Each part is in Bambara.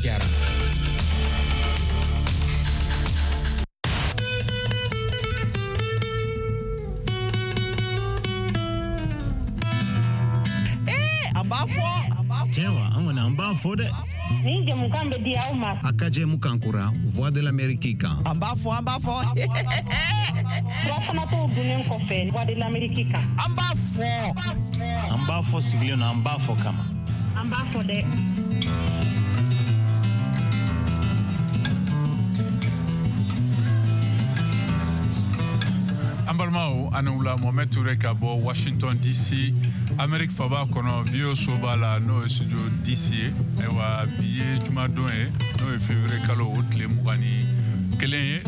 Jara. Tiɲɛ wa, an kɔni an b'a fɔ dɛ. Nin jɛmukan bɛ di aw ma. A ka jɛmukan kura Voix de l'Amérique kan. An b'a fɔ, an b'a fɔ. Furafanatɔw dunnen kɔfɛ Voix de l'Amérique kan. An b'a fɔ. An b'a fɔ sigilen na, an b'a fɔ kama. An b'a fɔ dɛ. An balimaw, ani wula. Mohamed Touré ka bɔ Washington DC, Amérique faba kɔnɔ, VOA soba la, n'o ye studio DC ye. Ayiwa, bi ye jumadon ye, n'o ye février kalo o tile 21 ye,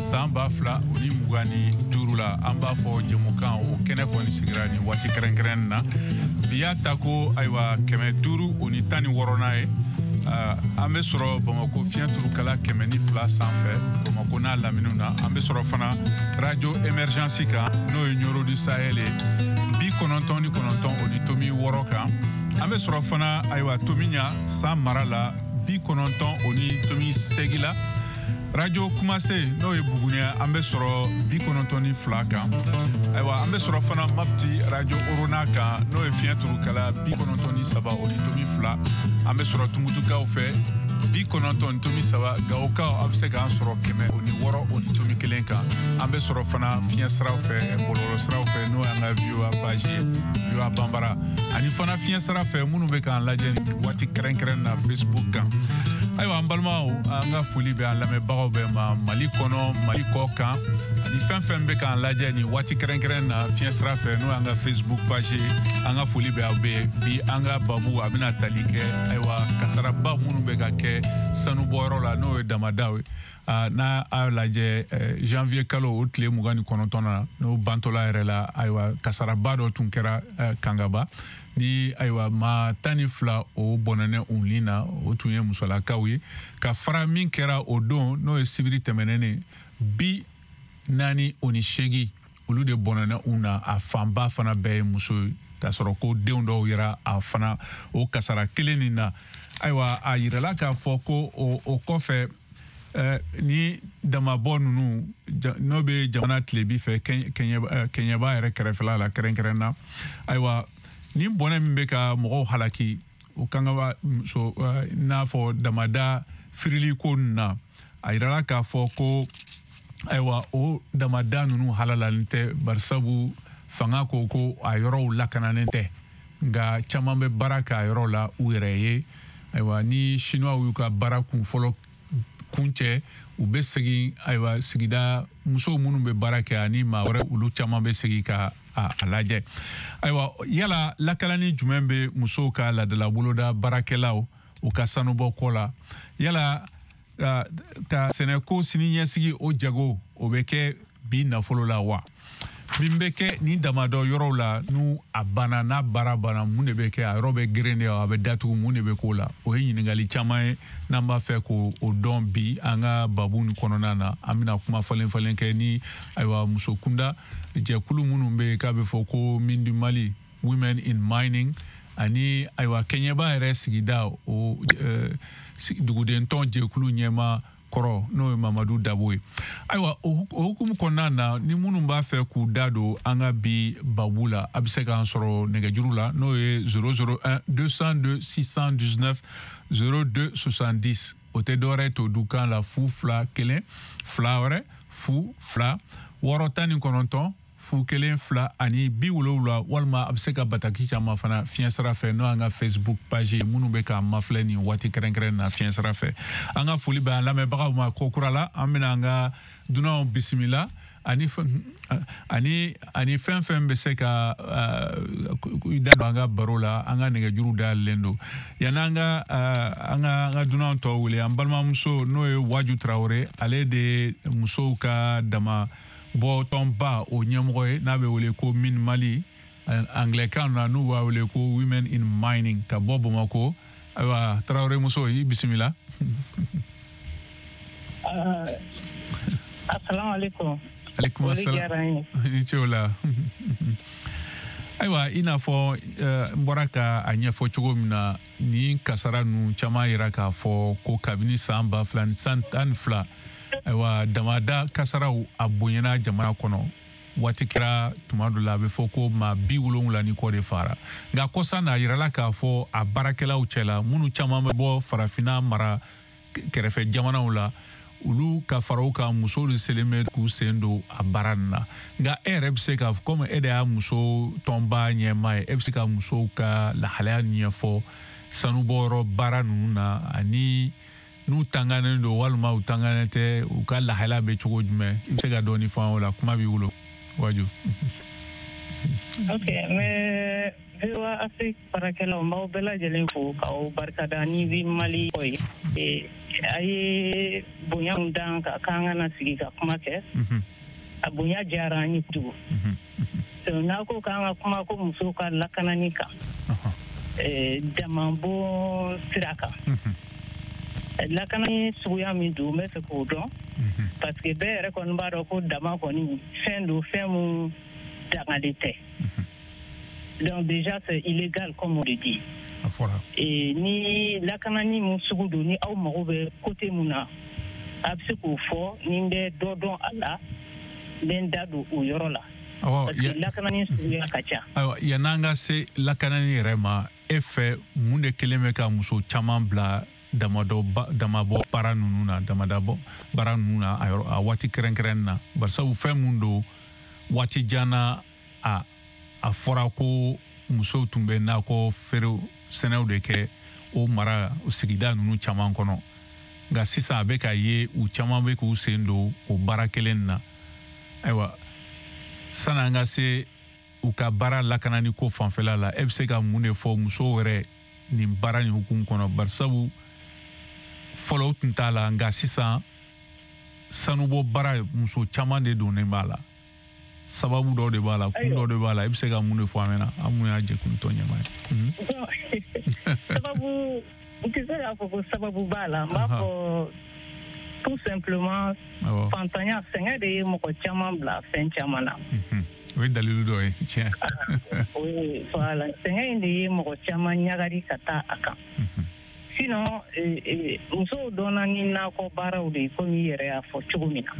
san 2025 la. An b'a fɔ jɛmukan o kɛnɛ kɔni sigira nin waati kɛrɛnkɛrɛn na. Bi y'a ta ko ayiwa 516nan ye. An bɛ sɔrɔ Bamako fiɲɛ turukala 102 sanfɛ, Bamako n'a laminiw na. An bɛ sɔrɔ fana radio Émergence kan, n'o ye Ɲoro du Sahel ye, 99.6 kan. An bɛ sɔrɔ fana ayiwa Tomiɲa san mara la, 90.8 la. Radio Kumase, n'o ye Buguni, an bɛ sɔrɔ 92 kan. Ayiwa, an bɛ sɔrɔ fana Mapti radio Orona kan, n'o ye fiɲɛ turukala 93.2. An bɛ sɔrɔ Tumutukaw fɛ 90.3. Gawokaw, a bɛ se k'an sɔrɔ 106.1 kan. An bɛ sɔrɔ fana fiɲɛ siraw fɛ, bɔlɔlɔ siraw fɛ, n'o y'an ka VOA page ye, VOA Banbara, ani fana fiɲɛ sira fɛ minnu bɛ k'an lajɛ waati kɛrɛnkɛrɛn na Facebook kan. Ayiwa, an balimaw, an ka foli bɛ an lamɛnbagaw bɛɛ ma, Mali kɔnɔ, Mali kɔ kan, ani fɛn fɛn bɛ k'an lajɛ nin waati kɛrɛnkɛrɛn na fiɲɛ sira fɛ, n'o y'an ka Facebook page ye. An ka foli bɛ aw bɛɛ. Bi an ka babu a bɛna tali kɛ ayiwa kasaraba minnu bɛ ka kɛ sanubɔyɔrɔ la, n'o ye damadaw ye. N'a a lajɛ janvier kalo o tile 29 na, n'o bantɔla yɛrɛ la, ayiwa kasaraba dɔ tun kɛra Kangaba ni ayiwa maa 12 o bɔnɛnɛ u ni na, o tun ye musolakaw ye. Ka fara min kɛra o don, n'o ye sibiri tɛmɛnen, 48 olu de bɔnɛnɛ u na, a fanba fana bɛɛ ye muso ye, k'a sɔrɔ ko denw dɔw yera a fana o kasara kelen nin na. Ayiwa, a yirala k'a fɔ ko o kɔfɛ, ni damabɔ ninnu n'o bɛ jamana tilebi fɛ, Kɛɲɛba yɛrɛ kɛrɛfɛla la kɛrɛnkɛrɛn na, ayiwa ni bɔnɛ min bɛ ka mɔgɔw halaki o Kangaba muso n'a fɔ damada firili ko ninnu na, a yirala k'a fɔ ko ayiwa o damada ninnu halalalen tɛ, barisabu fanga ko ko a yɔrɔw lakananen tɛ, nka caman bɛ baara kɛ a yɔrɔ la u yɛrɛ ye. Ayiwa, ni Chinois y'u ka baara kun fɔlɔ kuncɛ, u bɛ segin, ayiwa sigida musow minnu bɛ baara kɛ ani maa wɛrɛ, olu caman bɛ segin ka a lajɛ. Ayiwa, yala lakalani jumɛn bɛ musow ka laadala boloda baarakɛlaw u ka sanubɔ kɔ la? Yala ka sɛnɛko sini ɲɛsigi o jago o bɛ kɛ bi nafolo la wa? Min bɛ kɛ ni damadɔ yɔrɔw la, n'u a banna, n'a baara banna, mun de bɛ kɛ? A yɔrɔ bɛ geren de, a bɛ datugu, mun de bɛ k'o la? O ye ɲininkali caman ye n'an b'a fɛ k'o dɔn bi an ka babu nin kɔnɔna na. An bɛna kuma falen falen kɛ ni ayiwa muso kunda jɛkulu minnu bɛ yen k'a bɛ fɔ ko Mine du Mali, Women in Mining, ani ayiwa Kɛɲɛba yɛrɛ sigida o dugudentɔn jɛkulu ɲɛmaa kɔrɔ, n'o ye Mamadu Dabo ye. Ayiwa, o hukumu kɔnɔna na, ni minnu b'a fɛ k'u da don an ka bi babu la, a bɛ se k'an sɔrɔ nɛgɛjuru la, n'o ye 001 202 619 02 70. O tɛ dɔwɛrɛ to dukan la, 0 2 1 2 wɛrɛ 0 2 6 19 0 1 2 ani 70, walima a bɛ se ka bataki caman fana fiɲɛ sira fɛ, n'o y'an ka Facebook page ye, minnu bɛ k'an mafilɛ nin waati kɛrɛnkɛrɛn na fiɲɛ sira fɛ. An ka foli bɛ an lamɛnbagaw ma ko kura la. An bɛna an ka dunanw bisimila ani fɛn fɛn bɛ se ka i da don an ka baro la. An ka nɛgɛjuru dayɛlɛlen don. Yanni an ka an ka dunan tɔw wele, an balimamuso n'o ye Waju Tarawele, ale de ye musow ka dama bɔ tɔnba o ɲɛmɔgɔ ye, n'a bɛ wele ko Mine Mali, anglais-kan na n'u b'a wele ko Women in Mining, ka bɔ Bamakɔ. Ayiwa, Tarawele muso, i bisimila. Asalaamaaleykum. Aleykum asalaam. I ce o la. Ayiwa, i n'a fɔ n bɔra ka a ɲɛfɔ cogo min na, nin kasara ninnu caman yira k'a fɔ ko kabini san 2012, ayiwa, damada kasaraw a bonyana jamana kɔnɔ. Waati kɛra tuma dɔ la, a bɛ fɔ ko maa 70 ni kɔ de fara. Nka kɔsa na, a yirala k'a fɔ a baarakɛlaw cɛla, minnu caman bɛ bɔ farafinna mara kɛrɛfɛ jamanaw la, olu ka fara u kan, musow de selen bɛ k'u sen don a baara nin na. Nka e yɛrɛ bɛ se ka, komi e de y'a muso tɔnba ɲɛmaa ye, e bɛ se ka musow ka lahalaya ɲɛfɔ sanubɔyɔrɔ baara ninnu na, ani n'u tanganen don walima u tanganen tɛ, u ka lahalaya bɛ cogo jumɛn? I bɛ se ka dɔɔni fɔ an o la? Kuma b'i bolo, Waju. Ok, n bɛ VOA Afrique baarakɛlaw, n b'aw bɛɛ lajɛlen fo k'aw barikada ni bi Mali kɔ ye. A ye bonya min d'an kan k'an ka na sigi ka kuma kɛ, a bonya diyara an ye kojugu. N'a ko k'an ka kuma ko musow ka lakanani kan damabon sira kan, lakanani suguya min don, n bɛ fɛ k'o dɔn, parce que bɛɛ yɛrɛ kɔni b'a dɔn ko dama kɔni fɛn don, fɛn mun dangalen tɛ. Donc déjà, c'est illégal, comme on le dit. Et ni lakanani mun sugu don, ni aw mago bɛ côté mun na, a bɛ se k'o fɔ, ni n bɛ dɔ dɔn a la, n bɛ n da don o yɔrɔ la. Parce que lakanani suguya ka ca. Ayiwa, yann'an ka se lakanani yɛrɛ ma, e fɛ mun de kelen bɛ ka muso caman bila damabɔ baara ninnu na, damadabɔ baara ninnu na a waati kɛrɛnkɛrɛnnen na? Barisabu fɛn mun don, waati jan na, a fɔra ko musow tun bɛ nakɔ feere sɛnɛw de kɛ o mara sigida ninnu caman kɔnɔ. Nka sisan a bɛ ka ye u caman bɛ k'u sen don o baara kelen na. Ayiwa, sanni an ka se u ka baara lakanani ko fanfɛla la, e bɛ se ka mun de fɔ musow yɛrɛ nin baara nin hukumu kɔnɔ? Barisabu fɔlɔ u tun t'a la, nka sisan sanubɔ baara, muso caman de donnen b'a la. Sababu dɔw de b'a la, kun dɔw de b'a la. I bɛ se ka mun de fɔ an ɲɛna, an mun y'a jɛkulu tɔn ɲɛmaa ye? Sababu, n tɛ se k'a fɔ ko sababu b'a la. N b'a fɔ tout simplement, fantanya, sɛgɛn de ye mɔgɔ caman bila fɛn caman na. O ye dalilu dɔ ye, tiɲɛ. Voilà, sɛgɛn in de ye mɔgɔ caman ɲagari ka taa a kan. Sinon, musow dɔnna ni nakɔ baaraw de ye, komi i yɛrɛ y'a fɔ cogo min na.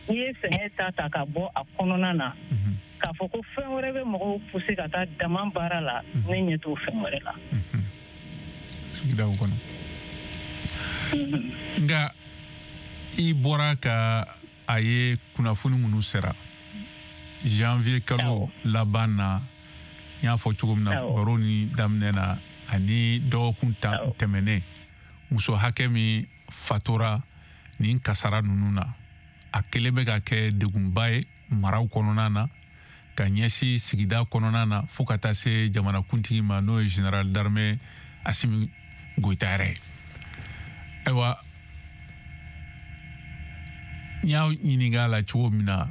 N'i ye sɛgɛn ta ka bɔ a kɔnɔna na, k'a fɔ ko fɛn wɛrɛ bɛ mɔgɔw pousser ka taa dama baara la, ne ɲɛ t'o fɛn wɛrɛ la. Sigidaw kɔnɔ. Nka i bɔra ka a ye kunnafoni minnu sera janvier kalo laban na, n y'a fɔ cogo min na baro ni daminɛ na, ani dɔgɔkun tɛmɛnen, muso hakɛ min fatora nin kasara ninnu na, a kelen bɛ ka kɛ degunba ye maraw kɔnɔna na, ka ɲɛsin sigida kɔnɔna na, fo ka taa se jamanakuntigi ma, n'o ye général d'armée Assimi Goïta yɛrɛ ye. Ayiwa, n y'a ɲininka a la cogo min na,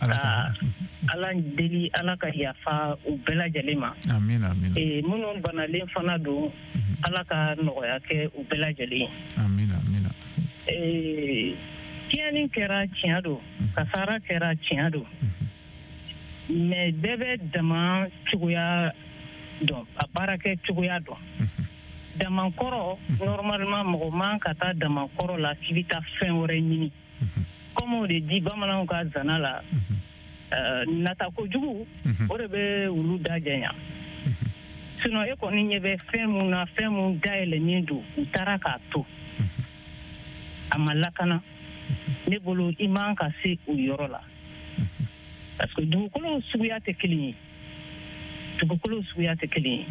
Ala deli, Ala ka yafa u bɛɛ lajɛlen ma. Amina, amina. Minnu banalen fana don, Ala ka nɔgɔya kɛ u bɛɛ lajɛlen ye. Amina, amina. Tiɲɛni kɛra, tiɲɛ don, kasara kɛra, tiɲɛ don, mais bɛɛ bɛ dama cogoya dɔn, a baarakɛ cogoya dɔn. Damankɔrɔ, normalement, mɔgɔ man ka taa damankɔrɔ la k'i bɛ taa fɛn wɛrɛ ɲini. Comme o de di bamananw ka zana la, nata kojugu, o de bɛ olu da janya. Sinon e kɔni ɲɛ bɛ fɛn mun na, fɛn mun dayɛlɛnnen don, u taara k'a to, a ma lakana. Ne bolo, i man ka se o yɔrɔ la, parce que dugukolo suguya tɛ kelen ye. Dugukolo suguya tɛ kelen ye.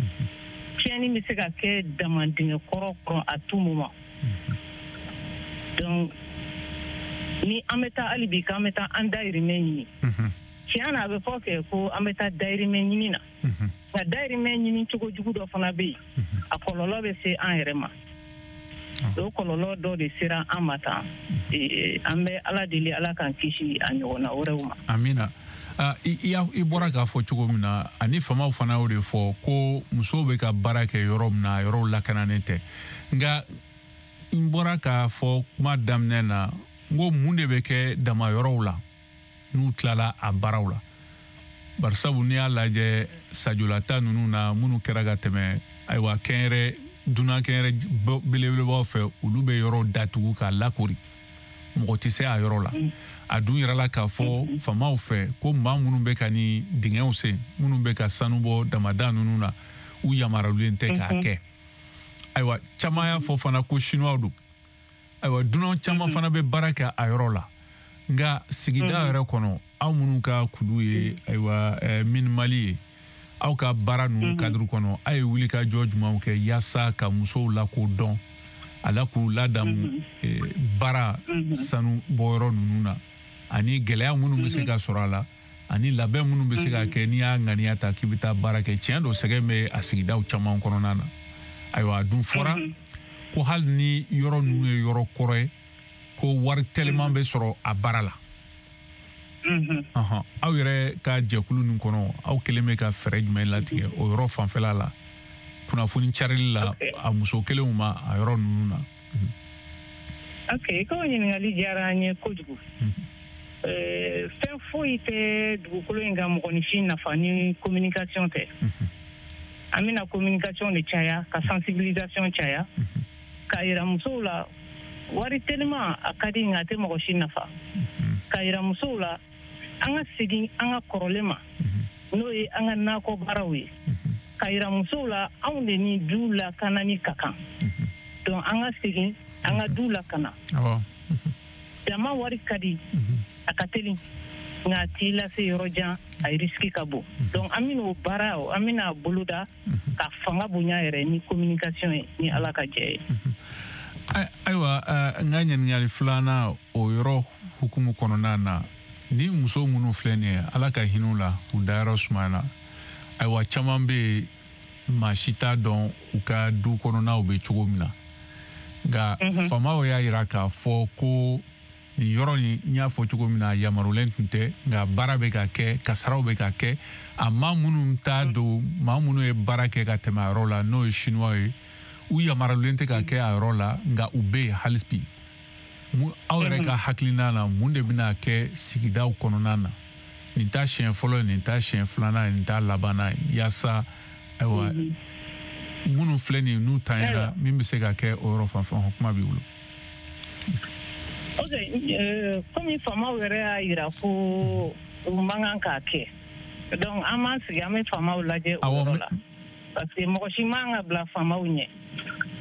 Tiɲɛni bɛ se ka kɛ damandingɛ kɔrɔ kɔnɔ à tout moment. Donc ni an bɛ taa hali bi k'an bɛ taa an dayirimɛ ɲini, tiɲɛ na, a bɛ fɔ kɛ ko an bɛ taa dayirimɛ ɲini na, nka dayirimɛ ɲini cogo jugu dɔ fana bɛ yen, a kɔlɔlɔ bɛ se an yɛrɛ ma. O kɔlɔlɔ dɔ de sera an ma tan. An bɛ Ala deli, Ala k'an kisi a ɲɔgɔnna wɛrɛw ma. Amina. I bɔra k'a fɔ cogo min na, ani faamaw fana y'o de fɔ ko musow bɛ ka baara kɛ yɔrɔ min na, yɔrɔw lakananen tɛ. Nka n bɔra k'a fɔ kuma daminɛ na, n ko mun de bɛ kɛ dama yɔrɔw la n'u tilala a baaraw la? Barisabu n'i y'a lajɛ sajolata ninnu na minnu kɛra ka tɛmɛ, ayiwa, kɛnyɛrɛ dunan kɛnyɛrɛ belebelebaw fɛ, olu bɛ yɔrɔ datugu k'a lakori, mɔgɔ tɛ se a yɔrɔ la. A dun yɛrɛ la k'a fɔ faamaw fɛ ko maa minnu bɛ ka ni dingɛw sen, minnu bɛ ka sanu bɔ damada ninnu na, u yamaruyalen tɛ k'a kɛ. Ayiwa, caman y'a fɔ fana ko chinois don. Ayiwa, dunan caman fana bɛ baara kɛ a yɔrɔ la. Nka sigida yɛrɛ kɔnɔ, aw minnu ka kulu ye, ayiwa, Mine Mali ye, aw ka baara ninnu cadre kɔnɔ, aw ye wulikajɔ jumɛnw kɛ yaasa ka musow lakodɔn a la, k'u ladamu baara sanu bɔyɔrɔ ninnu na, ani gɛlɛya minnu bɛ se ka sɔrɔ a la, ani labɛn minnu bɛ se ka kɛ n'i y'a ŋaniya ta k'i bɛ taa baara kɛ? Tiɲɛ don, sɛgɛn bɛ a sigidaw caman kɔnɔna na. Ayiwa, a dun fɔra ko hali ni yɔrɔ ninnu ye yɔrɔ kɔrɔ ye, ko wari teliman bɛ sɔrɔ a baara la. Aw yɛrɛ ka jɛkulu nin kɔnɔ, aw kelen bɛ ka fɛɛrɛ jumɛn latigɛ o yɔrɔ fanfɛla la, kunnafoni carili la a muso kelenw ma a yɔrɔ ninnu na? Ok, ko ɲininkali diyara an ye kojugu. Fɛn foyi tɛ dugukolo in kan mɔgɔninfin nafa ni communication tɛ. An bɛna communication de caya, ka sensibilisation caya, k'a yira musow la wari teliman a ka di, nka a tɛ mɔgɔ si nafa, k'a yira musow la an ka segin an ka kɔrɔlen ma, n'o ye an ka nakɔ baaraw ye, k'a yira musow la anw de ni du lakanani ka kan. Donc an ka segin an ka du lakana. Jama wari ka di, a ka teli, nka a t'i lase yɔrɔ jan, a risque ka bon. Donc an bɛn'o baara, an bɛna boloda ka fanga bonya yɛrɛ ni communication ye, ni Ala ka jɛ ye. Ayiwa, n ka ɲininkali filanan o yɔrɔ hukumu kɔnɔna na, ni muso minnu filɛ nin ye, Ala ka hinɛ u la k'u dayɔrɔ sumaya, ayiwa, caman bɛ yen, maa si t'a dɔn u ka du kɔnɔnaw bɛ cogo min na. Nka faamaw y'a yira k'a fɔ ko nin yɔrɔ nin, n y'a fɔ cogo min na, yamarulen tun tɛ, nka baara bɛ ka kɛ, kasaraw bɛ ka kɛ. A maa minnu t'a don, maa minnu ye baara kɛ ka tɛmɛ a yɔrɔ la, n'o ye chinois ye, u yamarulen tɛ ka kɛ a yɔrɔ la, nka u bɛ yen hali bi. Aw yɛrɛ ka hakilina na, mun de bɛna kɛ sigidaw kɔnɔna na? Nin t'a siɲɛ fɔlɔ ye, nin t'a siɲɛ filanan ye, nin t'a labanna ye, yaasa, ayiwa, minnu filɛ nin ye, n'u tanyara, min bɛ se ka kɛ o yɔrɔ fan fɛ? Kuma b'i bolo. Ok, komi faamaw yɛrɛ y'a yira ko u man kan k'a kɛ, donc an b'an sigi, an bɛ faamaw lajɛ o yɔrɔ la, parce que mɔgɔ si man ka bila faamaw ɲɛ.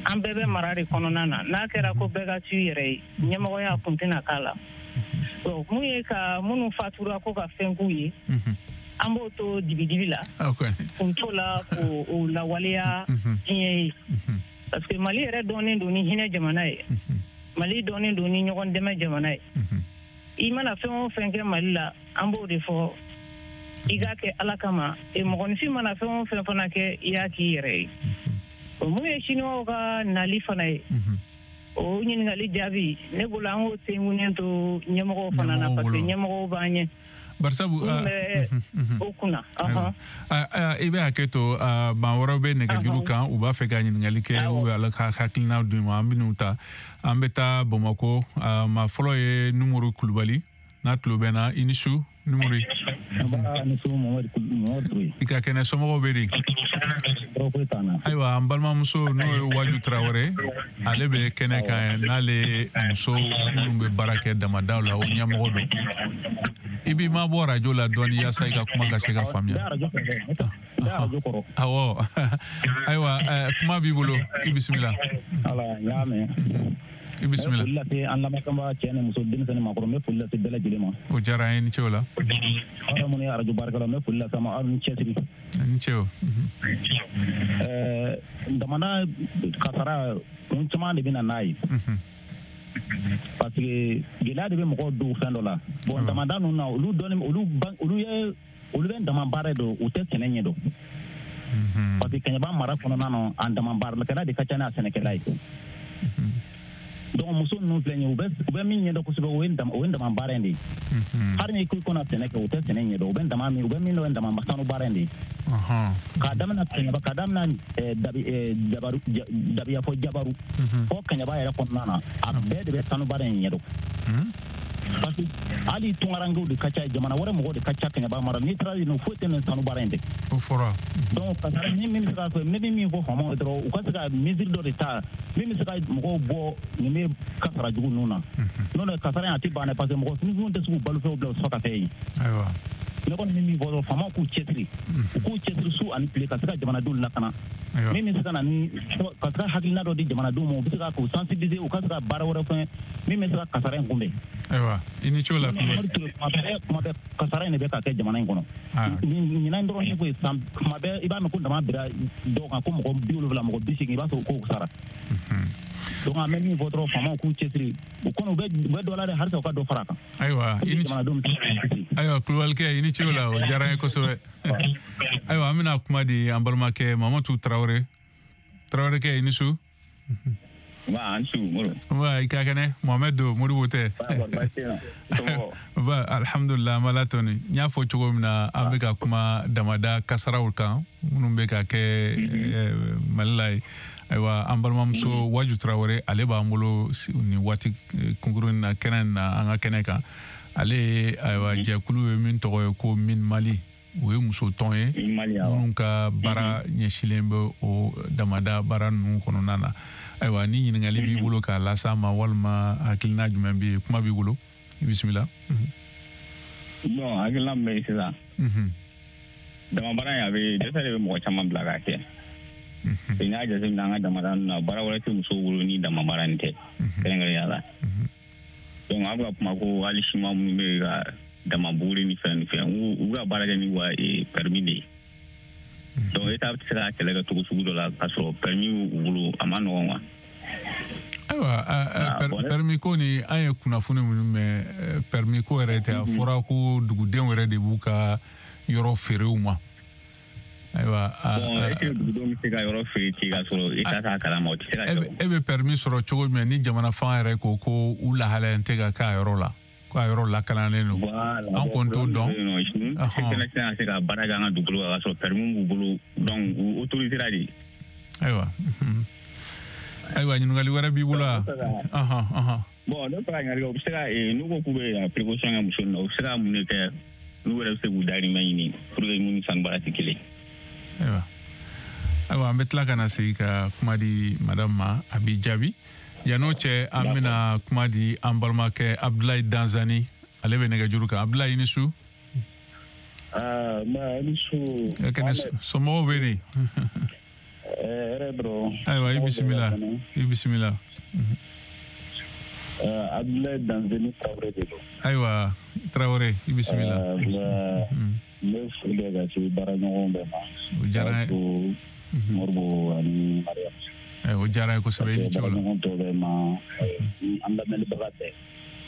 An bɛɛ bɛ mara de kɔnɔna na. N'a kɛra ko bɛɛ ka tu yɛrɛ ye, ɲɛmɔgɔya kun tɛna k'a la. Bon, mun ye ka minnu fatura ko ka fɛn k'u ye, an b'o to dibidibi la, kun t'o la k'o lawaleya diɲɛ ye, parce que Mali yɛrɛ dɔnnen don ni hinɛ jamana ye, Mali dɔnnen don ni ɲɔgɔn dɛmɛ jamana ye. I mana fɛn o fɛn kɛ Mali la, an b'o de fɔ, i k'a kɛ Ala kama. E mɔgɔninfin mana fɛn o fɛn fana kɛ, i y'a k'i yɛrɛ ye. O mun ye chinois ka nali fana ye, o ɲininkali jaabi ne bolo, an k'o tenkunnen to ɲɛmɔgɔw fana na, parce que ɲɛmɔgɔw b'an ɲɛ Barisabu o kunna. I bɛ hakɛ to, maa wɛrɛw bɛ nɛgɛjuru kan, u b'a fɛ ka ɲininkali kɛ u bɛ Ala ka hakilina d'u ma. An bɛ n'u ta, an bɛ taa Bamakɔ. Maa fɔlɔ ye Numuru Kulubali, n'a tulo bɛ na. I ni su, Numuru. I ka kɛnɛ? Somɔgɔw bɛ di? Ayiwa, an balimamuso, n'o ye Waju Tarawele, ale bɛ kɛnɛ kan, n'ale muso minnu bɛ baara kɛ damadaw la, o ɲɛmɔgɔ don. I b'i mabɔ arajo la dɔɔni yaasa i ka kuma ka se ka faamuya. Awɔ, ayiwa, kuma b'i bolo, i bisimila. I bisimila. Foli lase an lamɛnbaga, cɛ ni muso, denmisɛnnin, maakɔrɔ, n bɛ foli lase bɛɛ lajɛlen ma. O diyara an ye, ni ce o la. Aw yɛrɛ minnu ye arajo baarakɛlaw, n bɛ foli lase a ma, aw ni cɛsiri. Ni ce o. Damada kasara, kun caman de bɛ na n'a ye, parce que gɛlɛya de bɛ mɔgɔw don fɛn dɔ la. Bon, damada ninnu na, olu dɔnni, olu olu ye, olu bɛ dama baara don, u tɛ sɛnɛ ɲɛ dɔn, parce que Kɛɲɛba mara kɔnɔna na, a dama baarakɛla de ka ca n'a sɛnɛkɛla ye. Donc muso ninnu filɛ nin ye, u bɛ min ɲɛdɔn kosɛbɛ, o ye dama baara in de ye. Hali ni ko na sɛnɛ kɛ, u tɛ sɛnɛ ɲɛdɔn. U bɛ dama min, u bɛ min dɔn, ye dama sanu baara in de ye. K'a daminɛ Kɛɲɛba, k'a daminɛ dabi Jabaru, Dabiya fɔ Jabaru fɔ Kɛɲɛba yɛrɛ kɔnɔna na, a bɛɛ de bɛ sanu baara in ɲɛdɔn. Parce que hali tungarankew de ka ca, jamana wɛrɛ mɔgɔw de ka ca Kɛɲɛba mara. N'i taara yen nɔ, foyi tɛ nin sanu baara in tɛ. O fɔra. Donc kasara ni min bɛ se ka fɔ, ne bɛ min fɔ faamaw ye dɔrɔn, u ka se ka mesure dɔ de ta min bɛ se ka mɔgɔw bɔ nin bɛ kasara jugu ninnu na. N'o tɛ kasara in a tɛ ban dɛ, parce que mɔgɔ finifinw tɛ se k'u balofɛnw bila u sɔrɔ ka fɛn ye. Ayiwa. Ne kɔni bɛ min fɔ dɔrɔn, faamaw k'u cɛsiri. U k'u cɛsiri su ani tile ka se ka jamanadenw lakana. Min bɛ se ka na ni ka se ka hakilina dɔ di jamanadenw ma, u bɛ se ka k'u sensibiliser, u ka se ka baara wɛrɛ fɛn min bɛ se ka kasara in kunbɛn. Ayiwa, i ni ce o la. Kuma bɛɛ kasara in de bɛ ka kɛ jamana in kɔnɔ. Ɲinan dɔrɔn tɛ koyi, san kuma bɛɛ i b'a mɛn ko dama bira dɔw kan ko mɔgɔ 70 mɔgɔ 80, i b'a sɔrɔ k'o sara. Donc an bɛ min fɔ dɔrɔn, faamaw k'u cɛsiri, u kɔni u bɛ dɔ la dɛ, halisa u ka dɔ fara a kan. Ayiwa, i ni ayiwa Kulubalikɛ, i ni ce o la, o diyara n ye kosɛbɛ. Ayiwa, an bɛna kuma di an balimakɛ Mamadu Tarawele. Tarawelekɛ, i ni su. Nba, an su Moro. Nba, i ka kɛnɛ? Mohamed don, Modibo tɛ. Ba, alhamdulillah, an b'Ala tɔni. N y'a fɔ cogo min na, an bɛ ka kuma damada kasaraw kan minnu bɛ ka kɛ Mali la ye. Ayiwa, an balimamuso Waju Tarawele, ale b'an bolo nin waati kunkurunin na kɛnɛ in na, an ka kɛnɛ kan. Ale ye ayiwa jɛkulu ye min tɔgɔ ye ko Min Mali. O ye muso tɔn ye minnu ka baara ɲɛsilen bɛ o damada baara ninnu kɔnɔna na. Ayiwa, ni ɲininkali b'i bolo k'a las'a ma, walima hakilina jumɛn bɛ yen, kuma b'i bolo, i bisimila. Bon, hakilina min bɛ yen sisan, damabaara in a bɛ dɛsɛ de bɛ mɔgɔ caman bila k'a kɛ. N'i y'a jateminɛ an ka damada ninnu na, baara wɛrɛ tɛ musow bolo ni damabaara in tɛ, kɛrɛnkɛrɛnnenya la. Donc an bɛ ka kuma ko hali siman minnu bɛ ka dama buguri ni fɛn ni fɛn, u bɛ ka baara kɛ ni wa permis de ye. Donc État bɛ se ka kɛlɛ kɛ cogo sugu dɔ la k'a sɔrɔ permis b'u bolo, a ma nɔgɔn wa. Ayiwa, permis ko ni an ye kunnafoni minnu mɛn, permis ko yɛrɛ tɛ, a fɔra ko dugudenw yɛrɛ de b'u ka yɔrɔ feere u ma. Ayiwa, bon, est-ce que dugudenw bɛ se ka yɔrɔ feere ten k'a sɔrɔ État t'a kalama, o tɛ se ka kɛ. E bɛ permis sɔrɔ cogo jumɛn ni jamana fan yɛrɛ ko ko u lahalaya tɛ ka k'a yɔrɔ la, ko a yɔrɔ lakananen don? An kɔni t'o dɔn. Ninnu tɛna se ka baara kɛ an ka dugukolo kan k'a sɔrɔ permis b'u bolo, donc u autorisera de. Ayiwa, ayiwa, ɲininkali wɛrɛ b'i bolo wa? Bon, ne bɛ fɛ ka ɲininkali kɛ, u bɛ se ka n'u ko k'u bɛ précaution kɛ muso ninnu na, u bɛ se ka mun de kɛ n'u yɛrɛ bɛ se k'u dahirimɛ ɲini pour que mun ni sanu baara tɛ kelen. Ayiwa, ayiwa, an bɛ tila ka na segin ka kuma di madame ma, a b'i jaabi. Yan'o cɛ, an bɛna kuma di an balimakɛ Abdoulaye Danzani, ale bɛ nɛgɛjuru kan. Abdoulaye, i ni su. Nba, i ni su. Kɛnɛ, somɔgɔw bɛ di? Hɛrɛ dɔrɔn. Ayiwa, i bisimila, i bisimila. Abdoulaye Danzani Tarawele de don. Ayiwa, Tarawele, i bisimila. N bɛ foli kɛ ka se baaraɲɔgɔnw bɛɛ ma. O diyara n ye. Moribo ani Mariam. O diyara n ye kosɛbɛ, i ni ce o la. Baaraɲɔgɔn tɔw bɛɛ ma, ni an lamɛnnibaga bɛɛ.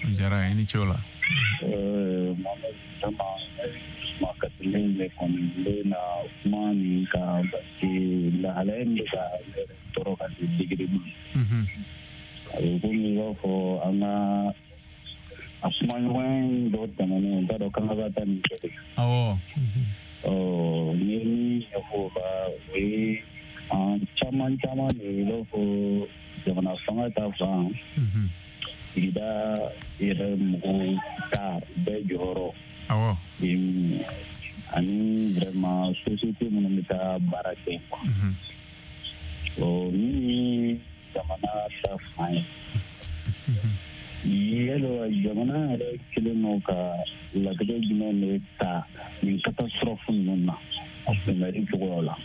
O diyara n ye, i ni ce o la. Mohamed, vraiment, kuma kasilen de kɔni n bɛ na kuma nin kan, parce que lahalaya in bɛ ka ne yɛrɛ tɔɔrɔ ka se degré ma. A bɛ komi i b'a fɔ an ka a kumaɲɔgɔnya dɔ tɛmɛnen, n t'a dɔn k'an ka taa nin kɛ de. Awɔ. N ye min ɲɛfɔ o la, o ye an caman caman de ye, i b'a fɔ jamana fanga ta fan, sigida yɛrɛ mɔgɔw ta bɛɛ jɔyɔrɔ. Awɔ. Ani vraiment société minnu bɛ taa baara kɛ. Min ye jamana ta fan ye. Yala jamana yɛrɛ kelen don ka latigɛ jumɛn de ta nin catastrophe ninnu na a kunbɛnni cogoyaw la?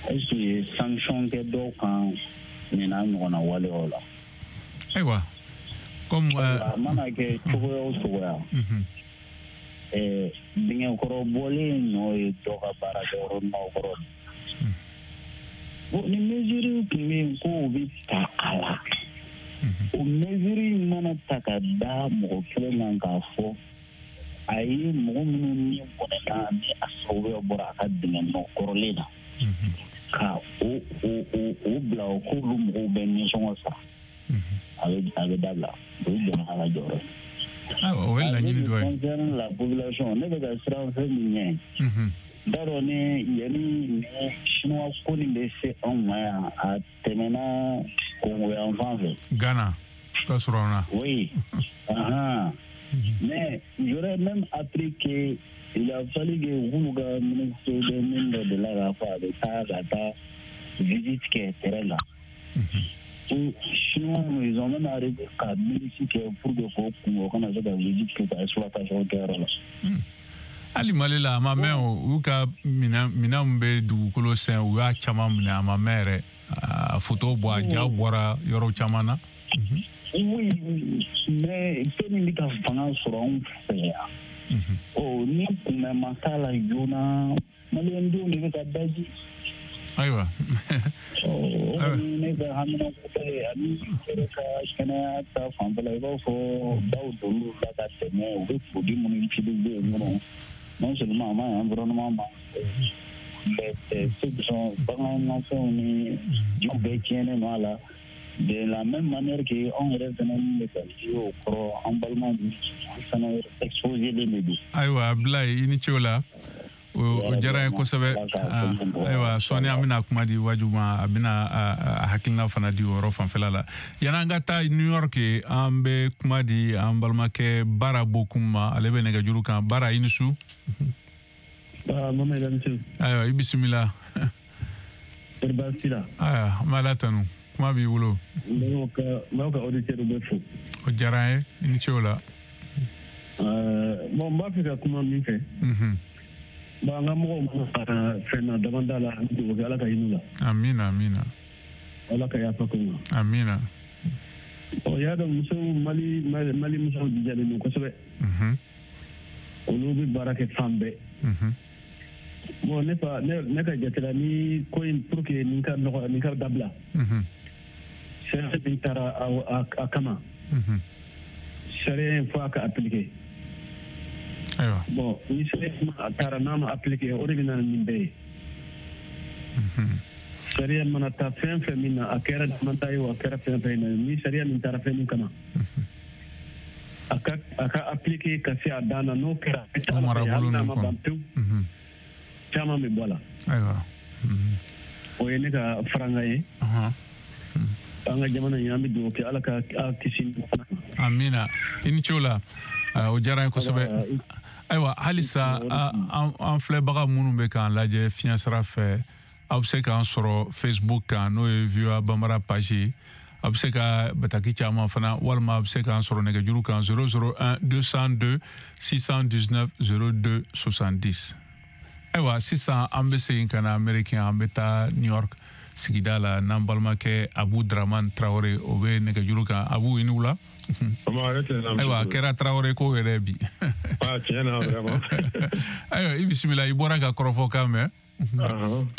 Est-ce que sanction kɛ dɔw kan nin n'a ɲɔgɔnna waleyaw la? Ayiwa, comme a mana kɛ cogoya o cogoya, dingɛkɔrɔ bɔlen nɔ ye dɔ ka baarakɛyɔrɔ nɔ kɔrɔ. Bon, ni mesure tun bɛ yen k'o bɛ ta a la, o mesure mana ta ka da mɔgɔ kelen kan k'a fɔ a ye mɔgɔ minnu ni bɔnɛna ni a sababuya bɔra a ka dingɛ nɔ kɔrɔlen na, ka o bila o k'olu mɔgɔw bɛ nisɔngɔ sara, a bɛ dabila. O ye jamana ka jɔyɔrɔ ye. O ye laɲini dɔ ye. Concerne la population, ne bɛ ka siran fɛn min ɲɛ, n t'a dɔn ni yanni ni chinois ko nin bɛ se anw ma yan, a tɛmɛna Kongo yan fan fɛ. Ghana. Ka sɔrɔ an na. Oui. Mais j'aurais même appris que il a fallu que u ka ministre des mines dɔ de la k'a fɔ a bɛ taa ka taa visite kɛ terrain la. Chinois, ils ont même arrivé ka milice kɛ pour que k'o kun o kana se ka visite kɛ ka exploitation kɛ yɔrɔ la. Hali Mali la a ma mɛn o, u ka minɛn min bɛ dugukolo sɛn u y'a caman minɛ a ma mɛn yɛrɛ, a photo bɔ a ja bɔra yɔrɔ caman na. Oui, mais fɛn min bɛ ka fanga sɔrɔ anw fɛ yan. Ɔ ni kunbɛn ma k'a la joona, maliyɛndenw de bɛ ka daji. Ayiwa. O kɔni ne ka haminanko ye ani yɛrɛ ka kɛnɛya ta fanfɛla i b'a fɔ baw donn'u la ka tɛmɛ u bɛ produit minnu utiliser yen nɔ, non seulement a ma ɲi environnement ma, mais ceux qui sont baganmafɛnw ni jiw bɛɛ tiɲɛnen don a la. De la même manière que anw yɛrɛ fɛnɛ min bɛ ka ji o kɔrɔ an balimaw an fɛnɛ exposé len de don. Ayiwa Abdoulaye, i ni ce o la. O diyara n ye kosɛbɛ. Ayiwa sɔɔni an bɛna kuma di Waju ma, a bɛna a hakilina fana di o yɔrɔ fanfɛla la. Yanni an ka taa New York, an bɛ kuma di an balimakɛ Bara Bokum ma, ale bɛ nɛgɛjuru kan. Bara, i ni su. Ayiwa i bisimila. Ayiwa an bɛ Ala tanu, kuma b'i bolo. N b'aw ka auditeurs bɛɛ fo. O diyara n ye, i ni ce o la. Bon, n b'a fɛ ka kuma min fɛ. Bon, an ka mɔgɔw mana fɛn na damanda la, an bɛ dugawu kɛ Ala ka hinɛ u la. Amina, amina. Ala ka yafa k'u ma. Amina. Ɔ y'a dɔn musow Mali musow jijalen don kosɛbɛ. Olu bɛ baara kɛ fan bɛɛ. Bon, ne ka jate la ni ko in pour que nin ka nɔgɔ nin ka dabila. Sariya min taara a kama. Sariya in fo a ka appliquer. Ayiwa. Bon, ni sariya a taara n'a ma appliquer, o de bɛ na nin bɛɛ ye. Sariya mana taa fɛn fɛn min na, a kɛra damanda ye o, a kɛra fɛn fɛn na, ni sariya min taara fɛn min kama, a ka appliquer ka se a dan na, n'o kɛra hali n'a ma ban pewu, caman bɛ bɔ a la. Ayiwa. O ye ne ka faranga ye. An ka jamana in, an bɛ dugawu kɛ Ala ka kisi. Amina, i ni ce o la. O diyara n ye kosɛbɛ. Ayiwa halisa an filɛbaga minnu bɛ k'an lajɛ fiɲɛ sira fɛ, aw bɛ se k'an sɔrɔ Facebook kan, n'o ye VOA Bambara page ye. Aw bɛ se ka bataki caman fana, walima aw bɛ se k'an sɔrɔ nɛgɛjuru kan 001 202 619 02 70. Ayiwa sisan an bɛ segin ka na Amérique, an bɛ taa New York sigida la n'an balimakɛ Abu Dramane Traoré, o bɛ nɛgɛjuru kan. Abu, i ni wula. Ayiwa a kɛra Traoré ko yɛrɛ bi. Tiɲɛ na vraiment. Ayiwa i bisimila, i bɔra ka kɔrɔfɔkan mɛn.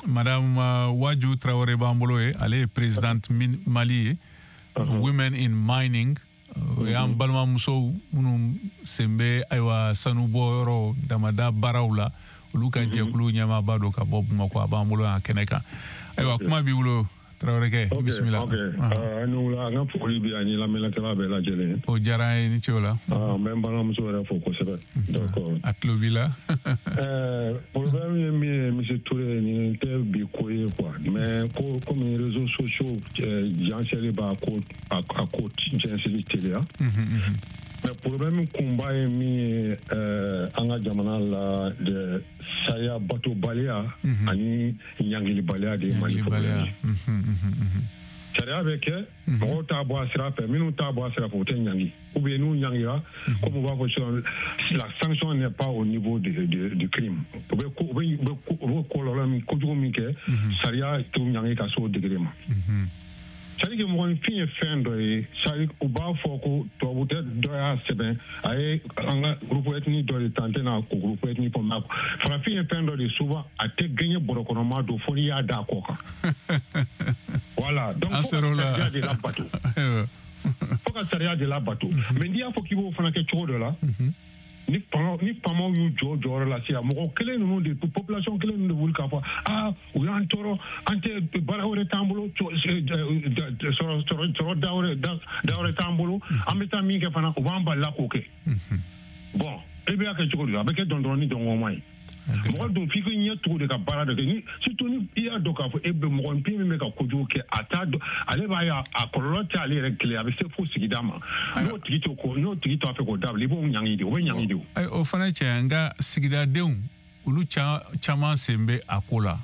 Madame Waju Traoré b'an bolo ye, ale ye présidente Mali ye, Women in Mining. O y'an balimamusow minnu sen bɛ ayiwa sanubɔyɔrɔ damada baaraw la, olu ka jɛkulu ɲɛmaaba don ka bɔ Bamakɔ, a b'an bolo yan kɛnɛ kan. Ayiwa kuma b'i bolo Traorékɛ, i bisimila. Ok, an ni wula, an ka foli bɛ ani lamɛnnikɛla bɛɛ lajɛlen. O diyara an ye, ni ce o la. N bɛ n balimamuso yɛrɛ fo kosɛbɛ. D'accord. A tulo b'i la. Problème ye min ye, monsieur Touré, nin tɛ bi ko ye quoi, mais ko komi réseaux sociaux jansɛli b'a ko a ko jɛnsɛli teliya. Mais problème kunba ye min ye an ka jamana la, sariya batobaliya ani ɲangilibaliya de ye Mali problème ye. Sariya bɛ kɛ, mɔgɔw t'a bɔ a sira fɛ, minnu t'a bɔ a sira fɛ, u tɛ ɲangi, ou bien n'u ɲangira, comme u b'a fɔ sisan, la sanction n'est pas au niveau du crime. U bɛ kɔlɔlɔ min, kojugu min kɛ, sariya t'u ɲangi ka se o degré ma. C'est-à-dire que mɔgɔninfin ye fɛn dɔ ye, c'est-à-dire u b'a fɔ ko tubabu tɛ dɔ y'a sɛbɛn, a ye an ka groupe ethnique dɔ de ta, n tɛna ko groupe ethnique fɔ, mais farafin ye fɛn dɔ de, souvent a tɛ gɛɲɛ bɔrɔkɔnɔma don fo n'i y'a da a kɔ kan. Voilà, donc fo ka sariya de labato. Fo ka sariya de labato. Mais n'i y'a fɔ k'i b'o fana kɛ cogo dɔ la, ni faamaw y'u jɔ jɔyɔrɔ la sisan, mɔgɔ kelen ninnu de, population kelen ninnu de wuli k'a fɔ aa u y'an tɔɔrɔ, an tɛ baara wɛrɛ t'an bolo, sɔrɔ da wɛrɛ t'an bolo, an bɛ taa min kɛ fana u b'an balila k'o kɛ. Bon, e bɛ y'a kɛ cogo di? A bɛ kɛ dɔndɔrɔn ni dɔngɔnma ye. Mɔgɔ dun f'i k'i ɲɛ tugu de ka baara dɔ kɛ, ni surtout ni i y'a dɔn k'a fɔ e bɛ mɔgɔninfin min bɛ ka kojugu kɛ, a t'a dɔn, ale b'a ye a kɔlɔlɔ tɛ ale yɛrɛ kelen, a bɛ se fo sigida ma. N'o tigi t'o ko, n'o tigi t'a fɛ k'o dabila, i b'o ɲangi de, o bɛ ɲangi de. O fana ye tiɲɛ ye, nka sigidadenw olu caman sen bɛ a ko la.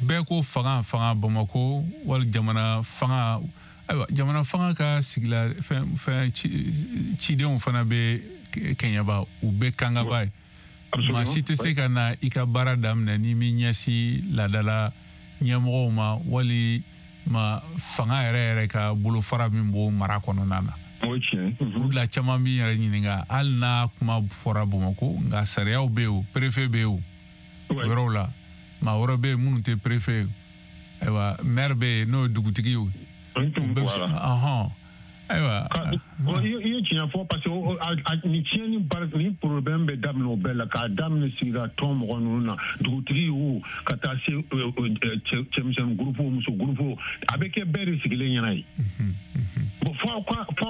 Bɛɛ ko fanga Bamakɔ wali jamana fanga. Ayiwa, jamana fanga ka sigila fɛn cidenw fana bɛ Kɛɲɛba, u bɛ Kangaba ye. Maa si tɛ se ka na i ka baara daminɛ n'i m'i ɲɛsin laadala ɲɛmɔgɔw ma wali ma fanga yɛrɛ ka bolofara min b'o mara kɔnɔna na. O de la caman b'i yɛrɛ ɲininka, hali n'a kuma fɔra Bamakɔ, nka sariyaw bɛ yen, o préfet bɛ yen, o yɔrɔw la maa wɛrɛ bɛ yen minnu tɛ préfet ye. Ayiwa, maire bɛ yen n'o ye dugutigi ye. Ayiwa, i ye tiɲɛ fɔ, parce que ni tiɲɛni baara ni problème bɛ daminɛ o bɛɛ la, k'a daminɛ sigida tɔn mɔgɔ ninnu na, dugutigi wo, ka taa se cɛmisɛnnin groupe, muso groupe, a bɛ kɛ bɛɛ de sigilen ɲɛna ye. Bon, f'aw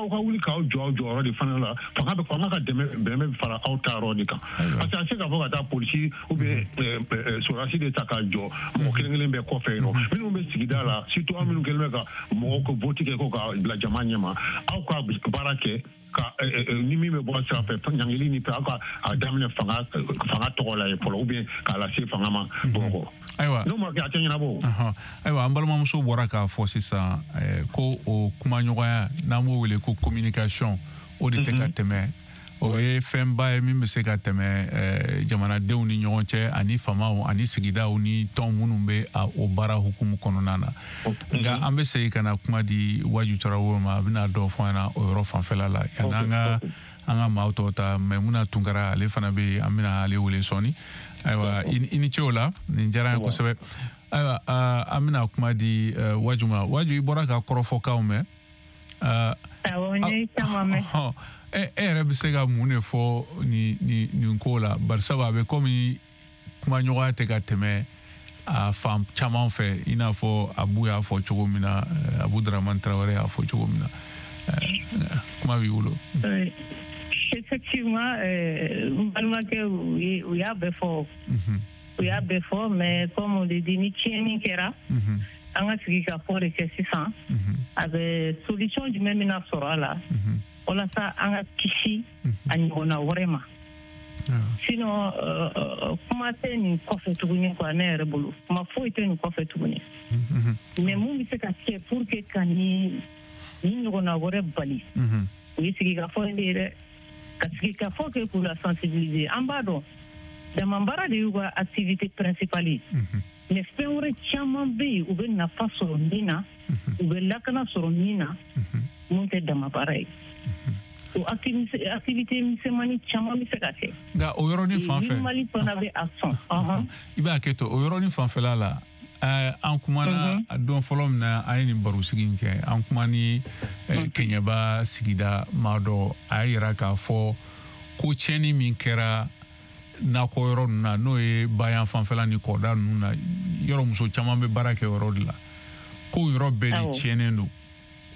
ka wuli k'aw jɔ aw jɔyɔrɔ de fana la, fanga ka dɛmɛ bɛ fara aw ta yɔrɔ de kan. Parce que a se k'a fɔ ka taa polisi ou bien sɔrɔdasi de ta k'a jɔ mɔgɔ kelen kelen bɛɛ kɔfɛ yen nɔ, minnu bɛ sigida la, surtout aw minnu kɛlen bɛ ka mɔgɔw ka vote kɛ ko ka bila jama ɲɛma, aw ka baara kɛ ka ni min bɛ bɔ sira fɛ, ɲangili ni fɛn, aw ka a daminɛ fanga tɔgɔ la ye fɔlɔ, ou bien k'a lase fanga ma Bamakɔ. Ayiwa, n'o ma kɛ a tɛ ɲɛnabɔ. Ayiwa, an balimamuso bɔra k'a fɔ sisan ko o kumaɲɔgɔnya, n'an b'o wele ko communication, o de tɛ ka tɛmɛ. O ye fɛnba ye min bɛ se ka tɛmɛ jamanadenw ni ɲɔgɔn cɛ, ani faamaw ani sigidaw ni tɔn minnu bɛ o baara hukumu kɔnɔna na. Nka an bɛ segin ka na kuma di Waju Tarawele ma, a bɛna dɔ fɔ an ɲɛna o yɔrɔ fanfɛla la. Yanni an ka maaw tɔw ta, Maimuna Tunkara ale fana bɛ yen, an bɛna ale wele sɔɔni. Ayiwa, i ni ce o la, nin diyara an ye kosɛbɛ. Ayiwa, an bɛna kuma di Waju ma. Waju, i bɔra ka kɔrɔfɔkanw mɛn. Awɔ, n ye caman mɛn. E yɛrɛ bɛ se ka mun de fɔ nin ko la? Barisabu a bɛ komi kumaɲɔgɔnya tɛ ka tɛmɛ a fan caman fɛ, i n'a fɔ Abu y'a fɔ cogo min na, Abu Dramane Traoré y'a fɔ cogo min na. Kuma b'i bolo. Effectivement, n balimakɛ u y'a bɛɛ fɔ. U y'a bɛɛ fɔ, mais comme on le dit, ni tiɲɛni kɛra, an ka sigi ka fɔ de kɛ sisan. A bɛ solution jumɛn bɛna sɔrɔ a la? Walasa an ka kisi a ɲɔgɔnna wɛrɛ ma. Sinon kuma tɛ nin kɔfɛ tuguni quoi, ne yɛrɛ bolo kuma foyi tɛ nin kɔfɛ tuguni. Mais mun bɛ se ka kɛ pour que ka nin ɲɔgɔnna wɛrɛ bali, o ye sigikafɔ in de ye dɛ. Ka sigikafɔ kɛ k'u la sensibiliser. An b'a dɔn damabaara de y'u ka activité principale ye, mais fɛn wɛrɛ caman bɛ yen u bɛ nafa sɔrɔ min na, u bɛ lakana sɔrɔ min na, mun tɛ damabaara ye. O activité misɛnmanin caman bɛ se ka kɛ. Nka o yɔrɔnin fan fɛ, Mali fana bɛ a sɔn. I b'a kɛ to o yɔrɔnin fanfɛla la, an kumana a don fɔlɔ min na an ye nin barosigi in kɛ, an kuma ni Kɛɲɛba sigida maa dɔ, a y'a yira k'a fɔ ko tiɲɛni min kɛra nakɔ yɔrɔ ninnu na, n'o ye bayan fanfɛla ni kɔda ninnu na, yɔrɔ muso caman bɛ baara kɛ yɔrɔ de la, ko yɔrɔ bɛɛ de tiɲɛnen don,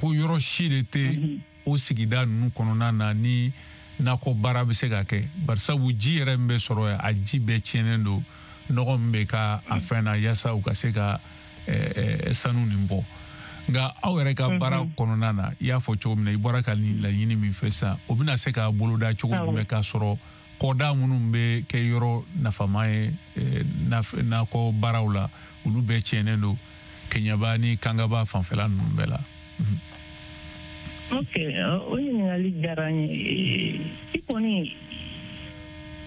ko yɔrɔ si de tɛ o sigida ninnu kɔnɔna na ni nakɔ baara bɛ se ka kɛ, barisabu ji yɛrɛ min bɛ sɔrɔ yen, a ji bɛɛ tiɲɛnen don, nɔgɔ min bɛ ka a fɛn na yaasa u ka se ka sanu nin bɔ. Nka aw yɛrɛ ka baara kɔnɔna na, i y'a fɔ cogo min na, i bɔra ka nin laɲini min fɛ sisan, o bɛna se ka boloda cogo jumɛn k'a sɔrɔ kɔda minnu bɛ kɛ yɔrɔ nafama ye nakɔ baaraw la, olu bɛɛ tiɲɛnen don Kɛɲɛba ni Kangaba fanfɛla ninnu bɛɛ la? Ok, o ɲininkali diyara n ye. I kɔni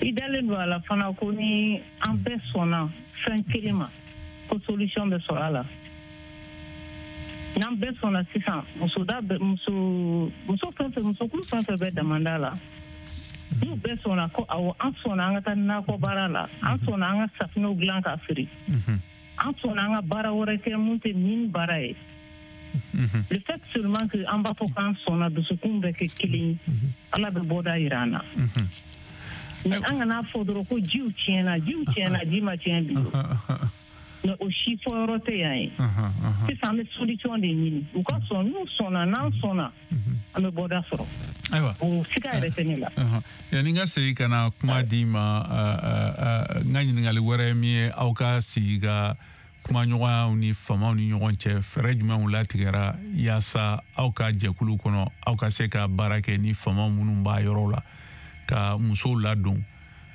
i dalen don a la fana ko ni an bɛɛ sɔnna fɛn kelen ma, ko solution bɛ sɔrɔ a la. N'an bɛɛ sɔnna sisan, muso fɛn fɛn, musokulu fɛn fɛn bɛ damanda la, n'u bɛɛ sɔnna ko awɔ, an sɔnna an ka taa nakɔ baara la, an sɔnna an ka safinɛw dilan k'a feere, an sɔnna an ka baara wɛrɛ kɛ mun tɛ min baara ye. Le fait seulement que an b'a fɔ k'an sɔnna, dusukun bɛ kɛ kelen ye, Ala bɛ bɔda yira an na. Mais an kana fɔ dɔrɔn ko jiw tiɲɛna, jiw tiɲɛna, ji ma tiɲɛ bi. Mais o si fɔyɔrɔ tɛ yan ye. Sisan an bɛ solution de ɲini. U ka sɔn, n'u sɔnna, n'an sɔnna, an bɛ bɔda sɔrɔ. Ayiwa, o siga yɛrɛ tɛ ne la. Yanni n ka segin ka na kuma d'i ma, n ka ɲininkali wɛrɛ ye min ye, aw ka sigi ka kumaɲɔgɔnyaw ni faamaw ni ɲɔgɔn cɛ, fɛɛrɛ jumɛnw latigɛra yaasa aw ka jɛkulu kɔnɔ aw ka se ka baara kɛ ni faama minnu b'a yɔrɔ la ka musow ladon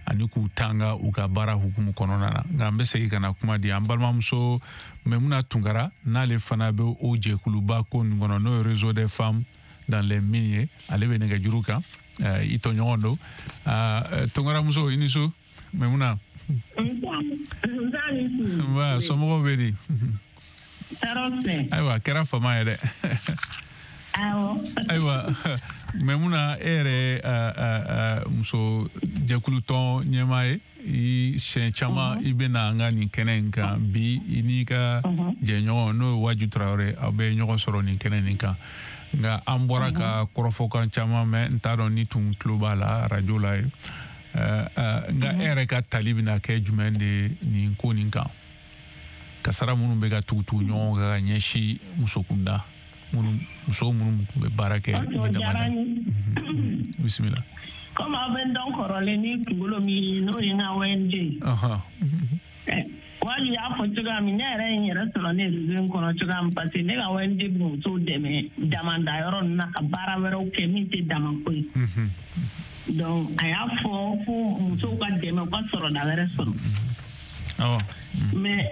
ani k'u tanga u ka baara hukumu kɔnɔna na? Nka n bɛ segin ka na kuma di an balimamuso Maimuna Tunkara, n'ale fana bɛ o jɛkuluba ko nin kɔnɔ, n'o ye Réseau des femmes dans les mines ye. Ale bɛ nɛgɛjuru kan, i tɔɲɔgɔn don. Tunkaramuso, i ni su Maimuna. Nba, somɔgɔw bɛ di? Ayiwa, a kɛra fama ye dɛ. Ayiwa Maimuna, e yɛrɛ muso jɛkulutɔn ɲɛmaa ye, i siɲɛ caman i bɛ na an ka nin kɛnɛ in kan. Bi i n'i ka jɛɲɔgɔn, n'o ye Waju Tarawele, aw bɛ ɲɔgɔn sɔrɔ nin kɛnɛ nin kan. Nka an bɔra ka kɔrɔfɔkan caman mɛn, n t'a dɔn ni tun tulo b'a la arajo la ye. Nka e yɛrɛ ka tali bɛna kɛ jumɛn de ye nin ko nin kan, kasara minnu bɛ ka tugu-tugu ɲɔgɔn kan ka ɲɛsin muso kunda, muso minnu tun bɛ baara kɛ ni damada? Bisimila. Komi aw bɛ n dɔn kɔrɔlen ni kunkolo min ye, n'o ye n ka ONG ye. Wali y'a fɔ cogoya min, ne yɛrɛ ye n yɛrɛ sɔrɔ ne réseau in kɔnɔ cogoya min, parce que ne ka ONG bɛ musow dɛmɛ damanda yɔrɔ ninnu na ka baara wɛrɛw kɛ min tɛ damako ye. Donc a y'a fɔ ko musow ka dɛmɛ u ka sɔrɔda wɛrɛ sɔrɔ. Mais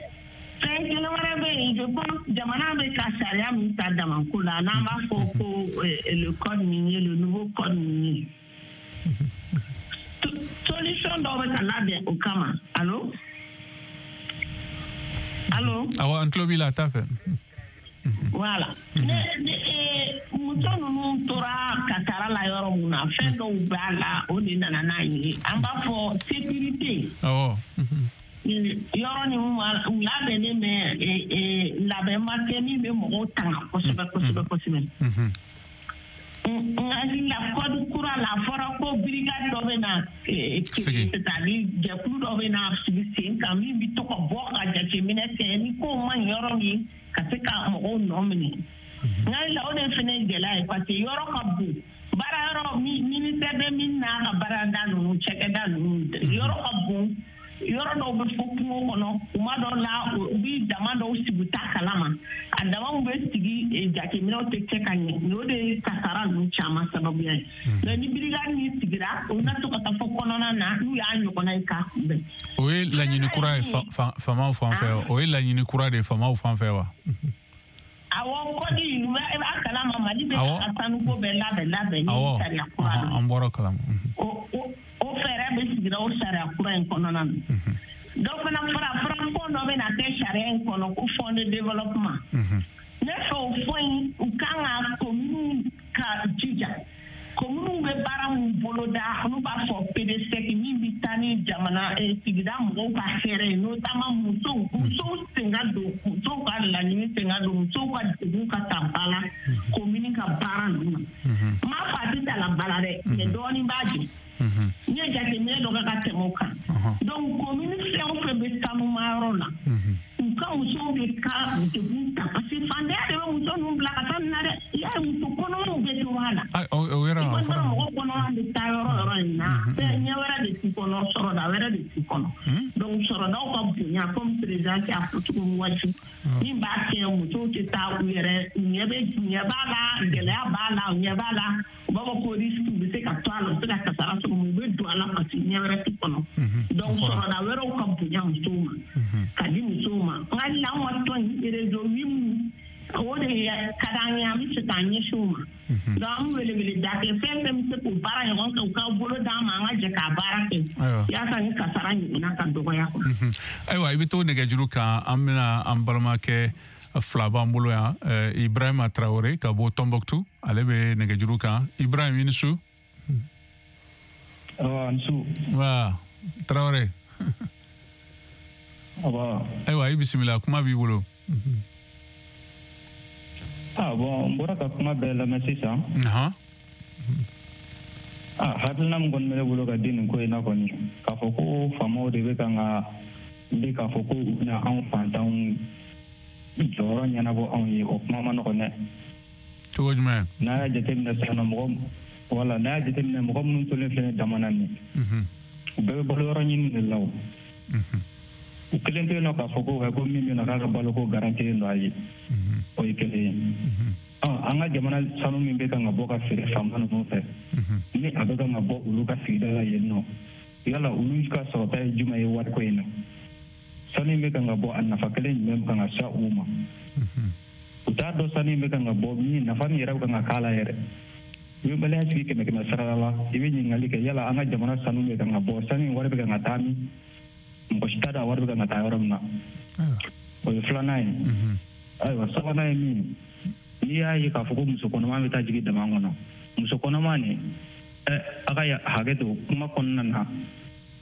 fɛn kelen wɛrɛ bɛ yen, je pense jamana bɛ ka sariya min ta damako la, n'an b'a fɔ ko le code minier, le nouveau code minier, solution dɔw bɛ ka labɛn o kama. Allo? Allo? Awɔ, an tulo b'i la, a t'a fɛ. Voilà. Muso ninnu tora kasara la yɔrɔ mun na, fɛn dɔw b'a la, o de nana n'a ye. An b'a fɔ sécurité. Awɔ. Yɔrɔ ni u labɛnnen bɛ, labɛn ma kɛ min bɛ mɔgɔw tanga kosɛbɛ kosɛbɛ kosɛbɛ. N hakili la code kura la, a fɔra ko brigade dɔ bɛ na c'est-à-dire jɛkulu dɔ bɛ na sigi sen kan min bɛ to ka bɔ ka jateminɛ kɛ ni ko ma ɲi yɔrɔ min, ka se ka mɔgɔw nɔ minɛ. N hakili la o de fana ye gɛlɛya ye, parce que yɔrɔ ka bon, baara yɔrɔ ministère bɛ min n'a ka baarada ninnu, cakɛda ninnu, yɔrɔ ka bon, yɔrɔ dɔw bɛ fɔ kungo kɔnɔ, kuma dɔw la u bɛ dama dɔw sigi u t'a kalama, a damaw bɛ sigi, jateminɛw tɛ kɛ ka ɲɛ, o de ye kasara ninnu caman sababuya ye. Mais ni brigade min sigira, o bɛna to ka taa fɔ kɔnɔna na n'u y'a ɲɔgɔnna ye k'a kunbɛn. O ye laɲini kura ye faamaw fan fɛ, o ye laɲini kura de ye faamaw fan fɛ wa? Awɔ, kɔdi i b'a kalama, Mali bɛ ka sanuko bɛɛ labɛn ni sariya kura don. An bɔra kalama. O fɛɛrɛ bɛ sigira o sariya kura in kɔnɔna na. Dɔ fana fara fɔn dɔ bɛ na kɛ sariya in kɔnɔ ko fond de développement. Ne fɛ o fɔn in, u kan ka kominiw ka jija. Kominiw bɛ baara min boloda, n'u b'a fɔ PDSEC, min bɛ taa ni jamana sigida mɔgɔw ka hɛrɛ ye, notamment musow sen ka don, musow ka laɲini sen ka don, musow ka degun ka ta ba la komini ka baara ninnu na. N m'a fɔ a tɛ ta la ba la dɛ, mais dɔɔnin b'a jɛ. N ye jateminɛ dɔ kɛ ka tɛmɛ o kan. Donc komini fɛn o fɛn bɛ sanumayɔrɔ la, u ka musow de ka degun ta, parce que fantanya de bɛ muso ninnu bila ka taa nin na dɛ. I y'a ye muso kɔnɔmaw bɛ to a la. O yɔrɔ I kɔni mɔgɔ kɔnɔma bɛ taa yɔrɔ yɔrɔ in na, fɛn ɲɛ wɛrɛ de t'i kɔnɔ, sɔrɔda wɛrɛ de t'i kɔnɔ. Donc sɔrɔdaw ka bonya, comme président y'a fɔ cogo min waati, min b'a kɛ musow tɛ taa u yɛrɛ ɲɛ b'a la, gɛlɛya b'a la, u ɲɛ b'a la, u b'a fɔ ko risque, u bɛ se ka to a la, u bɛ se ka kasara sɔrɔ, u bɛ don a la parce que ɲɛ wɛrɛ t'u kɔnɔ. Donc sɔrɔda wɛrɛw ka bonya musow ma, ka di musow ma. N hakili la anw ka tɔn in réseau min, o de ka d'an ye, an bɛ fɛ k'an ɲɛsin o ma. Donc an bɛ welewele da kɛ, fɛn fɛn bɛ se k'o baara ɲɔgɔn kɛ, u ka bolo d'an ma, an ka jɛ k'a baara kɛ yaasa ni kasara ɲɔgɔnna ka dɔgɔya. Ayiwa, i bɛ to nɛgɛjuru kan, an bɛna an balimakɛ fila b'an bolo yan, Ibrahima Traoré ka bɔ Tombouctou, ale bɛ nɛgɛjuru kan. Ibrahim, i ni su. Awa, n su. Wa Traoré. Awa. Ayiwa, i bisimila, kuma b'i bolo. Ah bon, n bɔra ka kuma bɛɛ lamɛn sisan. Ah, hakilina min kɔni bɛ ne bolo ka di nin ko in na kɔni, k'a fɔ ko faamaw de bɛ kan ka wuli k'a fɔ ko u bɛna anw fantanw jɔyɔrɔ ɲɛnabɔ anw ye, o kuma ma nɔgɔn dɛ. Cogo jumɛn? N'a y'a jateminɛ sisan nɔ, mɔgɔ Wala n'a y'a jateminɛ mɔgɔ minnu tolen filɛ dama na nin u bɛɛ bɛ balo yɔrɔ ɲini de la o. U kelen tɛ yen nɔ k'a fɔ ko ko min bɛ yen nɔ k'a ka baloko garantilen don a ye. O ye kelen ye. An ka jamana sanu min bɛ kan ka bɔ ka feere faama ninnu fɛ, ni a bɛ kan ka bɔ olu ka sigida la yen nɔ, yala olu ka sɔrɔta ye jumɛn ye wariko in na? Sanu in bɛ kan ka bɔ a nafa kelen jumɛn bɛ kan ka se u ma? U t'a dɔn sanu in bɛ kan ka bɔ min nafa min yɛrɛ bɛ kan ka k'a la yɛrɛ. I bɛ baliya sigi 100 sara la, i bɛ ɲininkali kɛ yala an ka jamana sanu bɛ kan ka bɔ, sanu in wari bɛ kan ka taa min? Mɔgɔ si t'a dɔn a wari bɛ kan ka taa yɔrɔ min na. O ye filanan ye. Ayiwa sabanan ye min ye, n'i y'a ye k'a fɔ ko muso kɔnɔma bɛ taa jigin dama kɔnɔ, muso kɔnɔma nin a ka hakɛ to kuma kɔnɔna na,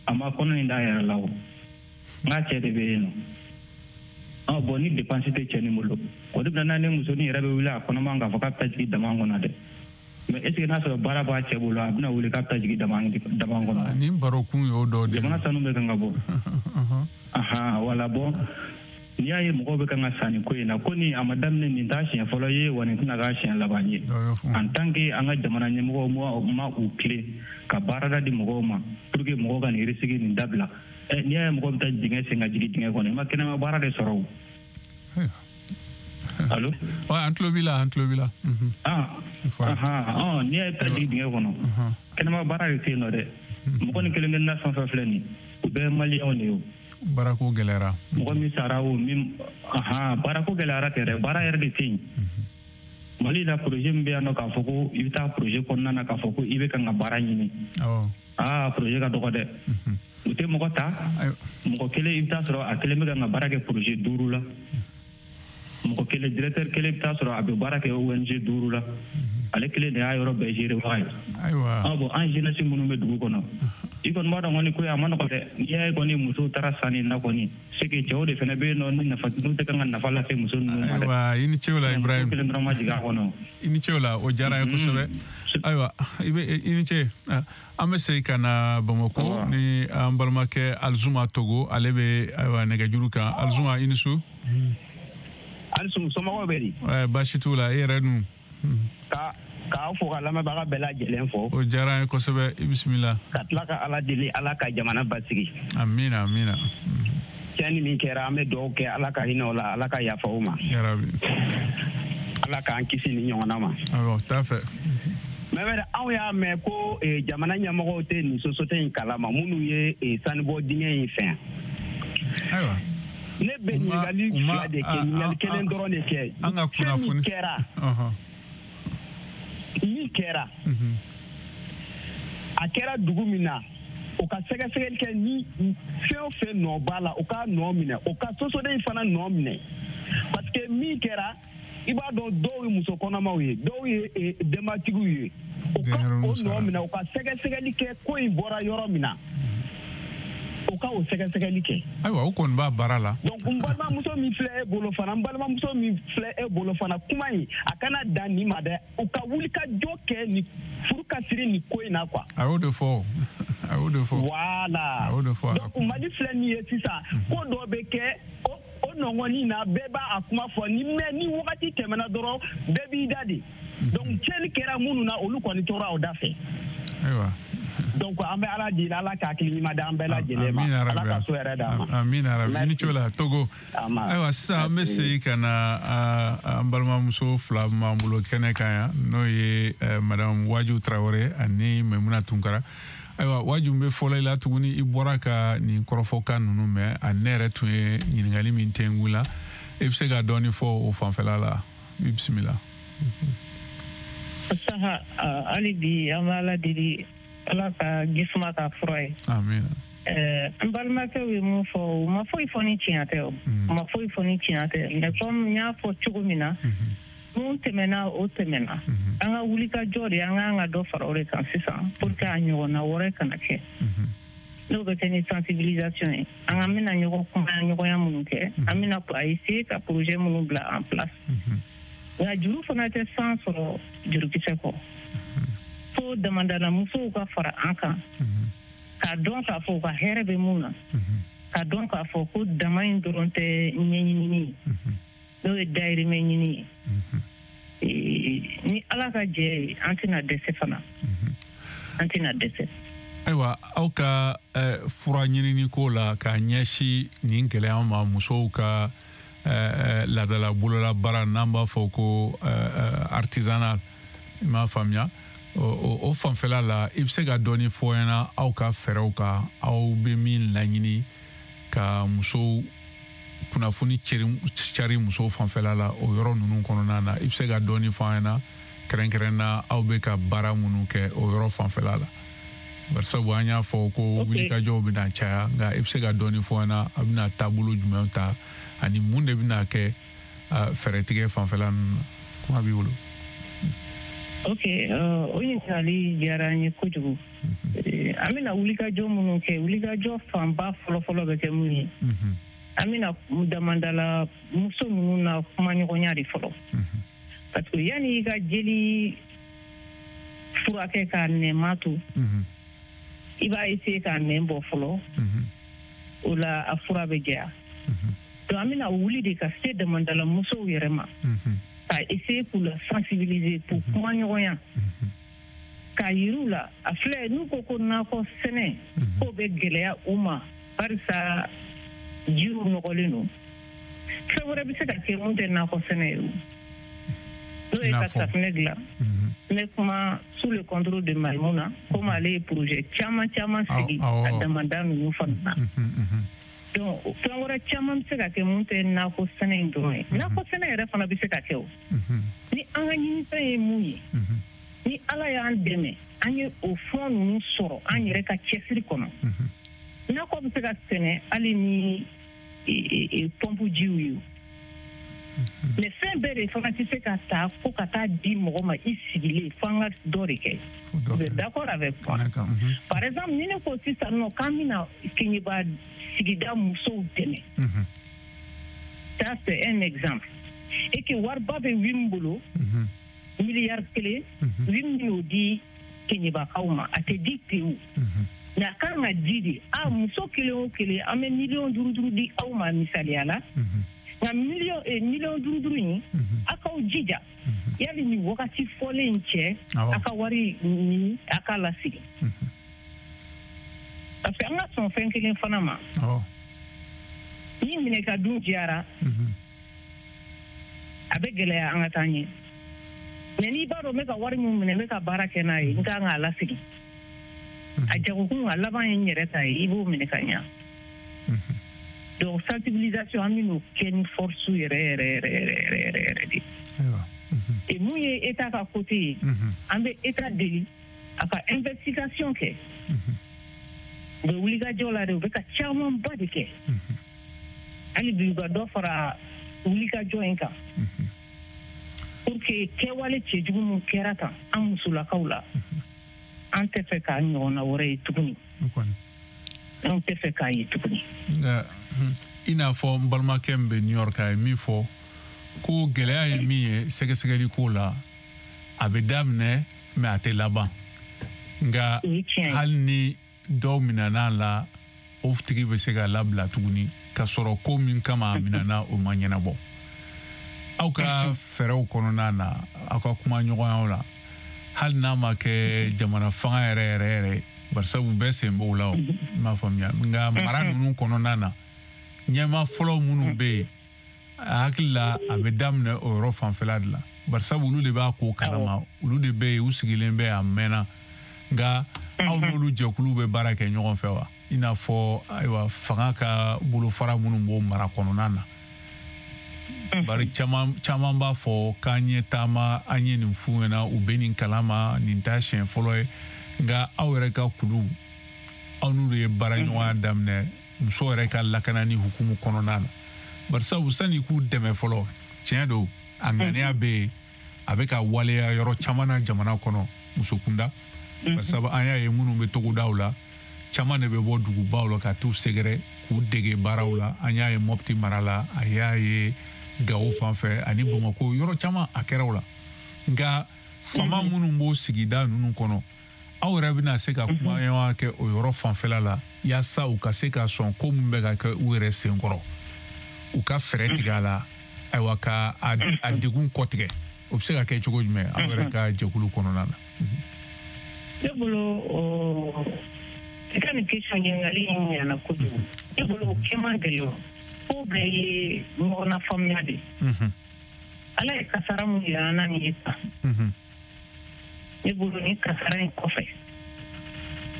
a ma kɔnɔ nin d'a yɛrɛ la o, n k'a cɛ de bɛ yen nɔ. Bon ni dépense tɛ cɛ nin bolo, o de bɛ na ni musonin yɛrɛ bɛ wuli a kɔnɔma k'a fɔ k'a bɛ taa jigin dama kɔnɔ dɛ. Mais est-ce que n'a sɔrɔ baara b'a cɛ bolo, a bɛna wuli k'a bɛ taa jigin dama kɔnɔ? Nin barokun y'o dɔ de ye. Jamana sanu bɛ kan ka bɔ. Wala bon n'i y'a ye mɔgɔw bɛ kan ka san nin ko in na, ko nin a ma daminɛ nin t'a siɲɛ fɔlɔ ye, wa nin tɛna k'a siɲɛ laban ye. En tant que an ka jamana ɲɛmɔgɔw ma u tilen ka baarada di mɔgɔw ma pour que mɔgɔw ka nin risque nin dabila. N'i y'a ye mɔgɔw bɛ taa dingɛ sen ka jigin dingɛ kɔnɔ, i ma kɛnɛma baara de sɔrɔ o. Allo? Ouais, an tulo b'i la, an tulo b'i la. N'i y'a ye taa jigin dingɛ kɔnɔ, kɛnɛma baara de tɛ yen nɔ dɛ. Mɔgɔ ni kelen kelenna fɛn fɛn filɛ nin, u bɛɛ ye maliyɛnw de ye o. Baarako gɛlɛyara. Mɔgɔ min sara o min, baarako gɛlɛyara tɛ dɛ, baara yɛrɛ de tɛ yen. Mali la projet min bɛ yan nɔ k'a fɔ ko i bɛ taa projet kɔnɔna na k'a fɔ ko i bɛ kan ka baara ɲini. Projet ka dɔgɔ dɛ. U tɛ mɔgɔ ta, mɔgɔ kelen i bɛ taa sɔrɔ a kelen bɛ kan ka baara kɛ projet 5 la. Mɔgɔ kelen directeur kelen bɛ taa sɔrɔ a bɛ baara kɛ ONG 5 la. Ale kelen de y'a yɔrɔ bɛɛ gérer baga ye. Ayiwa. Bon an jeunesse minnu bɛ dugu kɔnɔ, i kɔni b'a dɔn kɔni ko a ma nɔgɔ dɛ. N'i y'a ye kɔni musow taara sanni na kɔni, c'est que cɛw de fana bɛ yen nɔ ni nafa n'u tɛ kan ka nafa lase muso ninnu ma dɛ. Ayiwa i ni ce o la Ibrahim. Kelen dɔrɔn ma jigin a kɔnɔ. I ni ce o la, o diyara n ye kosɛbɛ. Ayiwa i ni ce. An bɛ segin ka na Bamakɔ ni an balimakɛ Alizuma Togo, ale bɛ ayiwa nɛgɛjuru kan. Alizuma i ni su. Alisu somɔgɔw bɛ di? Baasi t'u la, e yɛrɛ dun? K'aw fo ka lamɛnbaga bɛɛ lajɛlen fo. O diyara an ye kosɛbɛ, i bisimila. Ka tila ka Ala deli, Ala ka jamana basigi. Amiina amiina. Tiɲɛni min kɛra, an bɛ dugawu kɛ Ala ka hinɛ o la, Ala ka yafa o ma. Yarabi. Ala k'an kisi nin ɲɔgɔnna ma. Awɔ, t'a fɛ. Mais anw y'a mɛn ko jamana ɲɛmɔgɔw tɛ nin société in kalama, minnu ye sanubɔ dingɛ in fɛn. Ayiwa. Ne bɛ ɲininkali fila de kɛ, ɲininkali kelen dɔrɔn de kɛ. An ka kunnafoni. Min kɛra, a kɛra dugu min na, o ka sɛgɛsɛgɛli kɛ ni fɛn o fɛn nɔ b'a la, o ka nɔ minɛ, o ka sosoden in fana nɔ minɛ. Parce que min kɛra, i b'a dɔn dɔw ye muso kɔnɔmaw ye, dɔw ye denbatigiw ye. O ka o nɔ minɛ, o ka sɛgɛsɛgɛli kɛ ko in bɔra yɔrɔ min na. O ka o sɛgɛsɛgɛli kɛ. Ayiwa, o kɔni b'a baara la. Donc n balimamuso min filɛ e bolo fana, n balimamuso min filɛ e bolo fana, kuma in a kana dan nin ma dɛ. U ka wuli ka jɔ kɛ ni furu ka siri nin ko in na quoi. A y'o de fɔ. A y'o de fɔ. Voilà. A y'o de fɔ. Donc Mali filɛ nin ye sisan, ko dɔ bɛ kɛ o nɔngɔnni na, bɛɛ b'a a kuma fɔ ni mais ni wagati tɛmɛna dɔrɔn bɛɛ b'i da de. Donc tiɲɛni kɛra minnu na, olu kɔni tora o da fɛ. Ayiwa. Donc an bɛ Ala deli, Ala ka hakili ɲuman d'an bɛɛ lajɛlen ma. Ala ka so yɛrɛ d'an ma. Amiina rabi. I ni ce o la Togo. Ayiwa sisan an bɛ segin ka na an balimamuso fila min b'an bolo kɛnɛ kan yan, n'o ye madame Waju Tarawele ani Maimuna Tunkara. Ayiwa Waju, n bɛ fɔlɔ i la tuguni, i bɔra ka nin kɔrɔfɔkan ninnu mɛn, a ne yɛrɛ tun ye ɲininkali min tɛnku la, i bɛ se ka dɔɔni fɔ o fanfɛla la. I bisimila. Saha, hali bi an bɛ Ala deli, Ala ka jisuma ka fura ye. Amiina. N balimakɛw ye mun fɔ, u ma foyi fɔ ni tiɲɛ tɛ o. U ma foyi fɔ ni tiɲɛ tɛ. Mais comme n y'a fɔ cogo min na, mun tɛmɛna o tɛmɛna. An ka wuli ka jɔ de, an k'an ka dɔ fara o de kan sisan pour que a ɲɔgɔnna wɛrɛ kana kɛ. N'o bɛ kɛ ni sensibilisation ye, an ka bɛna ɲɔgɔn kuma ɲɔgɔnya minnu kɛ, an bɛna a essayer ka projet minnu bila en place. Nka juru fana tɛ san sɔrɔ jurukisɛ kɔ. Fo damadana musow ka fara an kan, k'a dɔn k'a fɔ u ka hɛrɛ bɛ mun na, k'a dɔn k'a fɔ ko dama in dɔrɔn tɛ ɲɛɲinini ye, n'o ye dayirimɛ ɲini ye. Ni Ala ka jɛ ye, an tɛna dɛsɛ fana, an tɛna dɛsɛ. Ayiwa, aw ka fura ɲinini ko la k'a ɲɛsin nin gɛlɛya ma, musow ka laadala bololabaara, n'an b'a fɔ ko artisanal, i m'a faamuya, o fanfɛla la, i bɛ se ka dɔɔni fɔ ɲɛna aw ka fɛɛrɛw kan, aw bɛ min laɲini ka musow kunnafoni cari musow fanfɛla la o yɔrɔ ninnu kɔnɔna na? I bɛ se ka dɔɔni fɔ an ɲɛna kɛrɛnkɛrɛn na, aw bɛ ka baara minnu kɛ o yɔrɔ fanfɛla la? Barisabu an y'a fɔ ko wulikajɔw bɛna caya, nka i bɛ se ka dɔɔni fɔ an ɲɛna, a bɛna taabolo jumɛn ta ani mun de bɛna kɛ fɛɛrɛtigɛ fanfɛla ninnu na? Kuma b'i bolo. Ok, o ɲininkali diyara an ye kojugu. An bɛna wulikajɔ minnu kɛ, wulikajɔ fanba fɔlɔfɔlɔ bɛ kɛ mun ye? An bɛna damandala muso ninnu na kumaɲɔgɔnya de fɔlɔ, parce que yanni i ka jeli furakɛ k'a nɛma to, i b'a essayer k'a nɛn bɔ fɔlɔ, o la a fura bɛ jɛya. Donc an bɛna wuli de ka se damandala musow yɛrɛ ma, ka essayer k'u la sensibiliser, k'u kumaɲɔgɔnya, k'a yir'u la a filɛ, n'u ko ko nakɔ sɛnɛ k'o bɛ gɛlɛya u ma barisa jiriw nɔgɔlen don, fɛn wɛrɛ bɛ se ka kɛ mun tɛ nakɔ sɛnɛ ye o, n'o ye ka safunɛ dilan. N bɛ kuma sous le contrôle de Maïmouna, komi ale ye projet caman caman sigi a damanda ninnu fana na. Donc fɛn wɛrɛ caman bɛ se ka kɛ mun tɛ nakɔ sɛnɛ in dɔrɔn ye. Nakɔ sɛnɛ yɛrɛ fana bɛ se ka kɛ o. Ni an ka ɲinifɛn ye mun ye, ni Ala y'an dɛmɛ an ye o fɛn ninnu sɔrɔ an yɛrɛ ka cɛsiri kɔnɔ, nakɔ bɛ se ka sɛnɛ hali ni pɔnpu jiw ye. Mais fɛn bɛɛ de fana tɛ se ka ta fo ka taa di mɔgɔ ma i sigilen, fo an ka dɔ de kɛ. Vous êtes d'accord avec moi? Par exemple, ni ne ko sisan nɔ k'an bɛna Keɲeba sigida musow dɛmɛ, ça c'est un exemple, et que wariba bɛ WIM bolo, miliyari 1, WIM y'o di Keɲebakaw ma, a tɛ di pewu. Mais a kan ka di de, a muso kelen o kelen an bɛ miliyɔn 5 5 di aw ma misaliya la. Nka miliyɔn 5 5 in, a k'aw jija yali nin wagati fɔlen in cɛ, a ka wari ɲini a k'a lasigi. Parce que an ka sɔn fɛn kelen fana ma, ni minɛ ka dun diyara, a bɛ gɛlɛya an ka taa ɲɛ. Mais n'i b'a dɔn n bɛ ka wari min minɛ, n bɛ ka baara kɛ n'a ye, n kan k'a lasigi. A jagokun a laban ye n yɛrɛ ta ye, i b'o minɛ ka ɲa. Donc sensibilisation, an bɛn'o kɛ ni force yɛrɛ yɛrɛ yɛrɛ yɛrɛ yɛrɛ yɛrɛ de. Et mun ye État ka côté ye, an bɛ État deli a ka investigation kɛ. U bɛ wulikajɔ la de, u bɛ ka camanba de kɛ. Hali bi u ka dɔ fara wulikajɔ in kan, pour que kɛwale cɛjugu min kɛra tan an musolakaw la, an tɛ fɛ k'a ɲɔgɔnna wɛrɛ ye tuguni. An tɛ fɛ k'a ye tuguni. Nka i n'a fɔ n balimakɛ min bɛ New York, a ye min fɔ ko gɛlɛya ye min ye sɛgɛsɛgɛli ko la, a bɛ daminɛ mais a tɛ laban. Nka hali ni dɔw minɛna la, o tigi bɛ se ka labila tuguni ka sɔrɔ ko min kama a minɛna o ma ɲɛnabɔ. Aw ka fɛɛrɛw kɔnɔna na, aw ka kuma ɲɔgɔnyaw la, hali n'a ma kɛ jamana fanga yɛrɛ yɛrɛ yɛrɛ, barisabu bɛɛ sen b'o la o, i m'a faamuya. Nka mara ninnu kɔnɔna na, ɲɛmaa fɔlɔ minnu bɛ yen, a hakili la a bɛ daminɛ o yɔrɔ fanfɛla de la, barisabu olu de b'a ko kalama, olu de bɛ yen, u sigilen bɛ a mɛnna. Nka aw n'olu jɛkulu bɛ baara kɛ ɲɔgɔn fɛ wa? I n'a fɔ ayiwa fanga ka bolofara minnu b'o mara kɔnɔna na. Bari caman b'a fɔ k'an ye taama, an ye nin f'u ɲɛna, u bɛ nin kalama, nin t'a siɲɛ fɔlɔ ye. Nka aw yɛrɛ ka kulu, aw n'olu ye baaraɲɔgɔnya daminɛ muso yɛrɛ ka lakanani hukumu kɔnɔna na. Barisabu sani k'u dɛmɛ fɔlɔ, tiɲɛ don, a ŋaniya bɛ yen, a bɛ ka waleya yɔrɔ caman na jamana kɔnɔ muso kunda. Barisabu an y'a ye minnu bɛ togodaw la, caman de bɛ bɔ dugubaw la ka t'u sɛgɛrɛ k'u dege baaraw la. An y'a ye Mopti mara la, a y'a ye Gawo fan fɛ ani Bamakɔ, yɔrɔ caman a kɛra o la. Nka faama minnu b'o sigida ninnu kɔnɔ, aw yɛrɛ bɛna se ka kumaɲɔgɔnya kɛ o yɔrɔ fanfɛla la, yaasa u ka se ka sɔn ko min bɛ ka kɛ u yɛrɛ senkɔrɔ, u ka fɛɛrɛ tigɛ a la, ayiwa ka a degun kɔtigɛ. O bɛ se ka kɛ cogo jumɛn aw yɛrɛ ka jɛkulu kɔnɔna na? Ne bolo, i ka nin question ɲininkali in ɲana kojugu. Ne bolo, o kɛ man gɛlɛn. Ko bɛɛ ye ɲɔgɔn na faamuya de. Ala ye kasara mun yira an na nin ye tan. Ne bolo, nin kasara in kɔfɛ,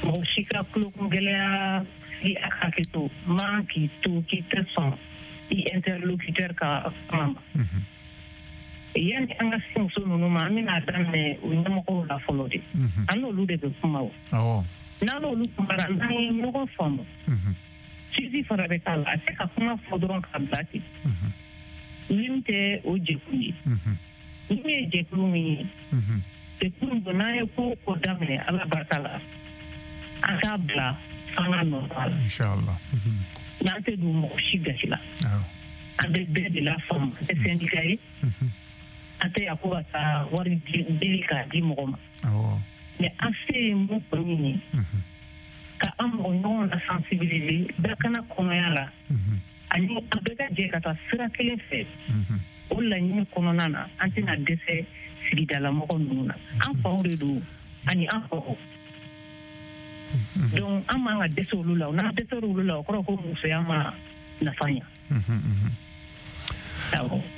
mɔgɔ si ka tulokun gɛlɛya i a hakɛ to man k'i to k'i tɛ sɔn i interlocuteur ka kuma ma. Yanni an ka se muso ninnu ma, an bɛna daminɛ o ɲɛmɔgɔw la fɔlɔ de. An n'olu de bɛ kuma o. N'an n'olu kumara, n'an ye ɲɔgɔn faamu, suivi fana bɛ k'a la. A tɛ ka kuma fɔ dɔrɔn k'a bila ten. Min tɛ o jɛkulu ye, min ye jɛkulu min ye, jɛkulu don, n'an ye ko o ko daminɛ, Ala barika la, an k'a bila an ka nɔ la. Inshallah. N'an tɛ don mɔgɔ si gasi la, an bɛ bɛɛ de la faamu. An tɛ syndicat ye, an tɛ yan ko ka taa wari deli k'a di mɔgɔ ma. Mais an se ye mun kɔni ye, ka an mɔgɔ ɲɔgɔn la sensibiliser lakana kɔnɔya la, ani an bɛɛ ka jɛ ka taa sira kelen fɛ. O laɲini kɔnɔna na, an tɛna dɛsɛ sigidalamɔgɔ ninnu na. An faw de don ani an faw. Donc an man ka dɛsɛ olu la. N'an dɛsɛra olu la, o kɔrɔ ko musoya ma nafa ɲa.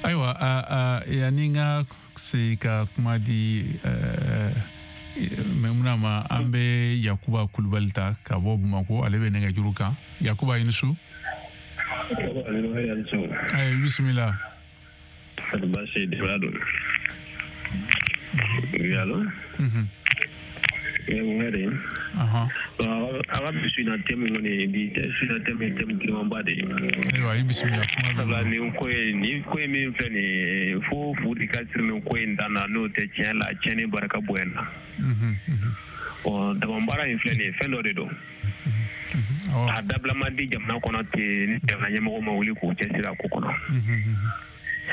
Ayiwa, yanni n ka segin ka kuma di Maimuna ma, an bɛ Yakuba Kulubali ta ka bɔ Bamakɔ. Ale bɛ nɛgɛjuru kan. Yakuba, i ni su. Ayi, bisimila. Baasi de don. Oui, allo? Ŋɛrɛ. A ka bi su in na, thème kɔni, bi su in na thème ye thème girimanba de ye. Ayiwa, i bisimila, kuma b'i Sabula nin ko ye min filɛ nin ye, fo fu de ka siri nin ko in dan na, n'o tɛ, tiɲɛ la, tiɲɛni barika bonya na. Bon, dama baara in filɛ nin ye, fɛn dɔ de don. A dabila man di jamana kɔnɔ ten ni jamana ɲɛmɔgɔ ma wuli k'u cɛsiri a ko kɔnɔ.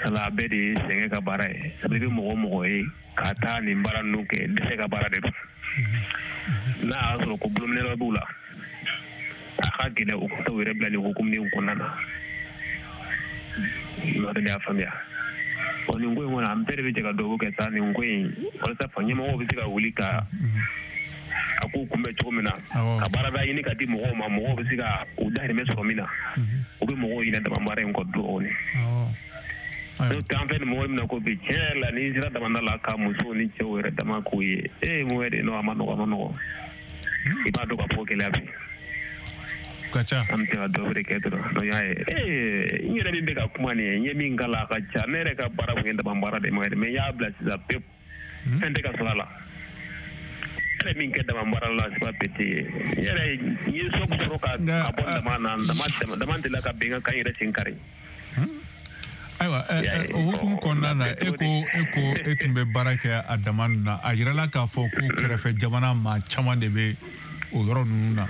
Sabula a bɛɛ de ye sɛgɛn ka baara ye. Sabu i bɛ mɔgɔ o mɔgɔ ye ka taa nin baara ninnu kɛ, dɛsɛ ka baara de don. N'a y'a sɔrɔ ko bolominɛ b'u la, a ka gɛlɛn u ka taa u yɛrɛ bila nin hukumu nin kɔnɔna na. N'o tɛ, ne y'a faamuya. Bon, nin ko in kɔni, an bɛɛ de bɛ jɛ ka dugawu kɛ sa nin ko in, walasa fa ɲɛmɔgɔw bɛ se ka wuli ka a ko kunbɛn cogo min na, ka baarada ɲini ka di mɔgɔw ma, mɔgɔw bɛ se ka u dahirimɛ sɔrɔ min na, u bɛ mɔgɔw ɲinɛ dama baara in kɔ dɔɔnin. N'o tɛ, an fɛ nin mɔgɔ min na ko bi, tiɲɛ yɛrɛ la, n'i sera damanda la ka musow ni cɛw yɛrɛ dama k'u ye, ee, mun yɛrɛ, non, a ma nɔgɔ, a ma nɔgɔ. I b'a dɔn k'a fɔ gɛlɛya bɛ ka ca. An bɛ se ka dɔ wɛrɛ kɛ dɔrɔn. Donc y'a ye, ee, n yɛrɛ min bɛ ka kuma nin ye, n ye min k'a la, a ka ca. Ne yɛrɛ ka baara kun ye dama baara de ye, mais n y'a bila sisan pewu, fɛn tɛ ka sɔrɔ a la. Ne yɛrɛ min kɛ dama baara la, c'est pas petit. N yɛrɛ n ye sɔku sɔrɔ ka bɔ dama na, dama delila ka bɛn ka n yɛrɛ sen kari. Ayiwa, o hukumu kɔnɔna na, e ko e tun bɛ baara kɛ a dama ninnu na. A yirala k'a fɔ ko kɛrɛfɛ jamana maa caman de bɛ o yɔrɔ ninnu na.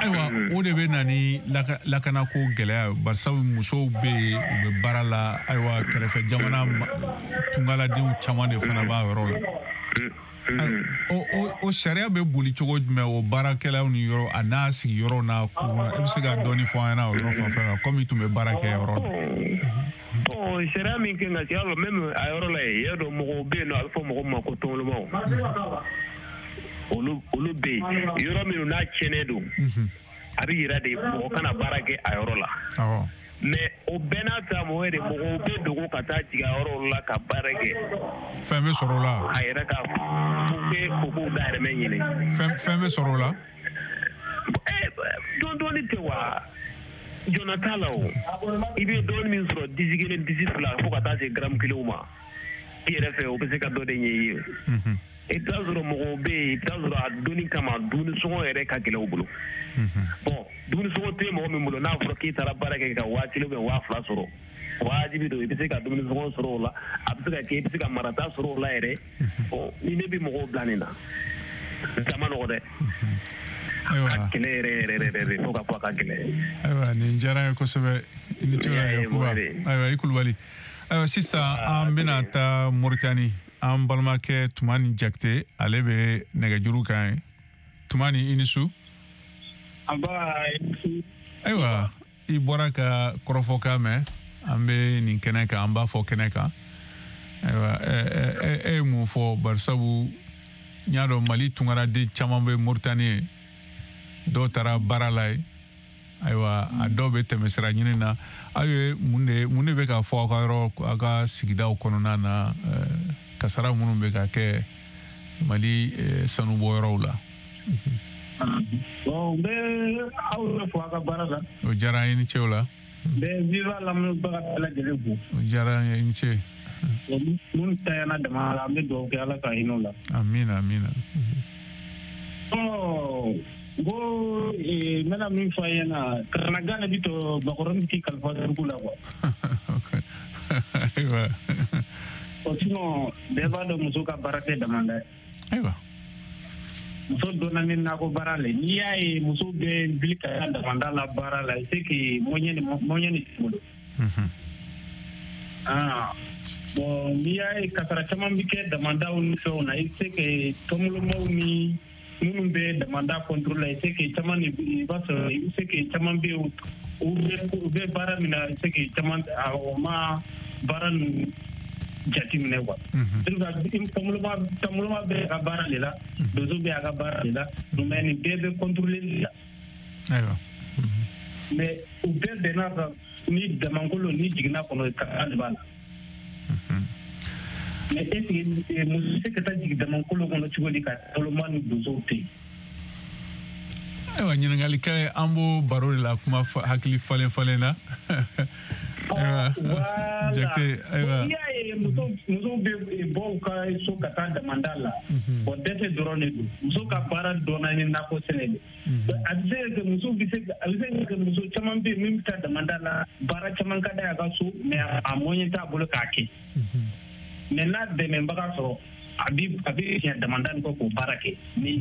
Ayiwa, o de bɛ na ni lakanako gɛlɛya, barisabu musow bɛ yen, u bɛ baara la. Ayiwa, kɛrɛfɛ jamana tungaladenw caman de fana b'a yɔrɔ la. O sariya bɛ boli cogo jumɛn o baarakɛlaw ni yɔrɔ a n'a sigiyɔrɔ n'a kurun? E bɛ se ka dɔɔni fɔ an ɲɛna o yɔrɔ fanfɛ la, komi i tun bɛ baara kɛ yɔrɔ la? Bon, sariya min kan ka kɛ yɔrɔ même a yɔrɔ la yen, y'a dɔn, mɔgɔw bɛ yen nɔ, a bɛ fɔ mɔgɔ min ma ko tɔngɔlɔmaw, olu bɛ yen. Yɔrɔ minnu n'a tiɲɛnen don, a bɛ yira de mɔgɔ kana baara kɛ a yɔrɔ la. Mais o bɛɛ n'a ta, mɔgɔ de mɔgɔw bɛ dogo ka taa jigin a yɔrɔ la ka baara kɛ. Fɛn bɛ sɔrɔ o la. A yɛrɛ ka k'u bɛ u k'u dahirimɛ ɲini. Fɛn bɛ sɔrɔ o la. Dɔɔni dɔɔni tɛ wa, jɔnna t'a la o. I bɛ dɔɔni min sɔrɔ, disi kelen, disi fila, fo ka taa se garamu kelenw ma, i yɛrɛ fɛ, o bɛ se ka dɔ de ɲɛ i ye. I bɛ taa sɔrɔ mɔgɔw bɛ yen, i bɛ taa sɔrɔ a donni kama, dumuni sɔngɔ yɛrɛ ka gɛlɛn u bolo. Bon, dumuni sɔngɔ tɛ mɔgɔ min bolo, n'a fɔra k'i taara baara kɛ ka 1000 ou 2000 sɔrɔ, wajibi don i bɛ se ka dumuni sɔngɔ sɔrɔ o la, a bɛ se ka kɛ i bɛ se ka marata sɔrɔ o la yɛrɛ. Bon, ni ne bɛ mɔgɔw bila nin na, a ma nɔgɔ dɛ. A gɛlɛn yɛrɛ yɛrɛ yɛrɛ de, fo ka fɔ a ka gɛlɛn. Ayiwa, nin diyara n ye kosɛbɛ, i ni ce, Yakuba. Ayiwa, i Kulubali. Ayiwa, sisan an bɛna taa Moritani. An balimakɛ Tumani Jakite, ale bɛ nɛgɛjuru kan ye. Tumani, i ni su. Ayiwa, i bɔra ka kɔrɔfɔkan mɛn. An bɛ nin kɛnɛ kan, an b'a fɔ kɛnɛ kan. Ayiwa, e ye mun fɔ? Barisabu n y'a dɔn Mali tunkaraden caman bɛ Moritani, dɔw taara baara la yen. Ayiwa, a dɔw bɛ tɛmɛsira ɲini na. Aw ye mun de bɛ ka fɔ aw ka yɔrɔ, aw ka sigidaw kɔnɔna na, kasara minnu bɛ ka kɛ Mali sanubɔyɔrɔw la? Bon, n bɛ aw yɛrɛ fo aw ka baara la. O diyara an ye, ni ce o la. N bɛ Viva lamɛnbaga bɛɛ lajɛlen fo. O diyara an ye, i ni ce. Minnu tanyana dama la, an bɛ dugawu kɛ Ala ka hinɛ u la. Amina, amina. Ɔ, n ko n bɛna min fɔ a ɲɛna, kamanagan de bɛ to bakɔrɔni bɛ t'i kalifa suruku la quoi. Ayiwa. O sinon bɛɛ b'a dɔn muso ka baara tɛ damanda ye. Ayiwa. Muso donna ni nakɔ baara le, n'i y'a ye muso bɛ wuli ka taa damanda la baara la, c'est que moyen de t'i bolo. Ah bon, n'i y'a ye kasara caman bɛ kɛ damandaw ni fɛnw na, c'est que tɔnbolomaw ni minnu bɛ damanda contrôle la, c'est que caman de i b'a sɔrɔ, c'est que caman bɛ yen, u bɛ baara min na, c'est que caman o ma baara ninnu jateminɛ quoi. Tɔnboloma bɛ a ka baara de la, donso bɛ a ka baara de la, mais nin bɛɛ bɛ contrôler la. Ayiwa. Mais u bɛɛ bɛnna kan ni damankolo ni jiginna kɔnɔ, kasara de b'a la. Mais est-ce que muso bɛ se ka taa jigin damankolo kɔnɔ cogo di ka tɔnboloma ni donsow to yen? Ayiwa, ɲininkali kɛ, an b'o baro de la, kuma hakili falen falen na. Voilà. N'i y'a ye musow bɛ bɔ u ka so ka taa damanda la, o dɛsɛ dɔrɔn de don. Muso ka baara dɔnna ni nakɔ sɛnɛ de. A bɛ se ka kɛ muso bɛ se a bɛ se ka kɛ muso caman bɛ yen min bɛ taa damanda la, baara caman ka d'a ye a ka so, mais a moyen t'a bolo k'a kɛ. Mais n'a dɛmɛbaga sɔrɔ, a bɛ fiɲɛ damanda nin kɔ k'o baara kɛ. Mais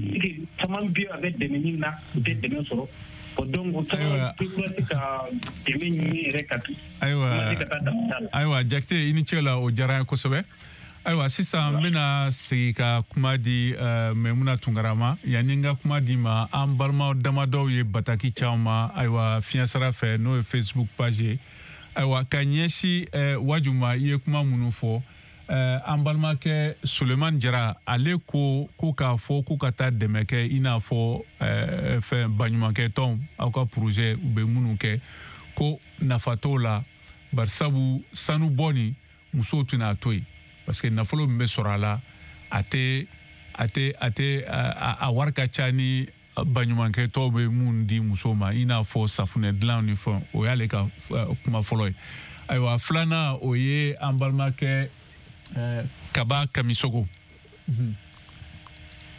caman bɛ yen, a bɛ dɛmɛ ɲini na, u tɛ dɛmɛ sɔrɔ. Donc caman bɛ ka dɛmɛ ɲini yɛrɛ ka taa damanda la. Ayiwa, Jakite, i ni ce la, o diyara n ye kosɛbɛ. Ayiwa, sisan n bɛna segin ka kuma di Maimuna Tunkara ma. Yanni n ka kuma di ma, an balima damadɔw ye bataki caman ma, ayiwa, fiɲɛsira fɛ, n'o ye Facebook page ye. Ayiwa, ka ɲɛsin Waju ma, i ye kuma minnu fɔ, an balimakɛ Sulemani Jara, ale ko k'a fɔ ko ka taa dɛmɛ kɛ, i n'a fɔ fɛn baɲumankɛ tɔnw, aw ka projet u bɛ minnu kɛ, ko nafa t'o la, barisabu sanu bɔ nin musow tɛna to yen, parce que nafolo min bɛ sɔrɔ a la, a tɛ a wari ka ca ni baɲumankɛ tɔw bɛ mun di musow ma, i n'a fɔ safunɛ dilan ni fɛn. O y'ale ka kuma fɔlɔ ye. Ayiwa, filanan, o ye an balimakɛ Kaba Kamisogo.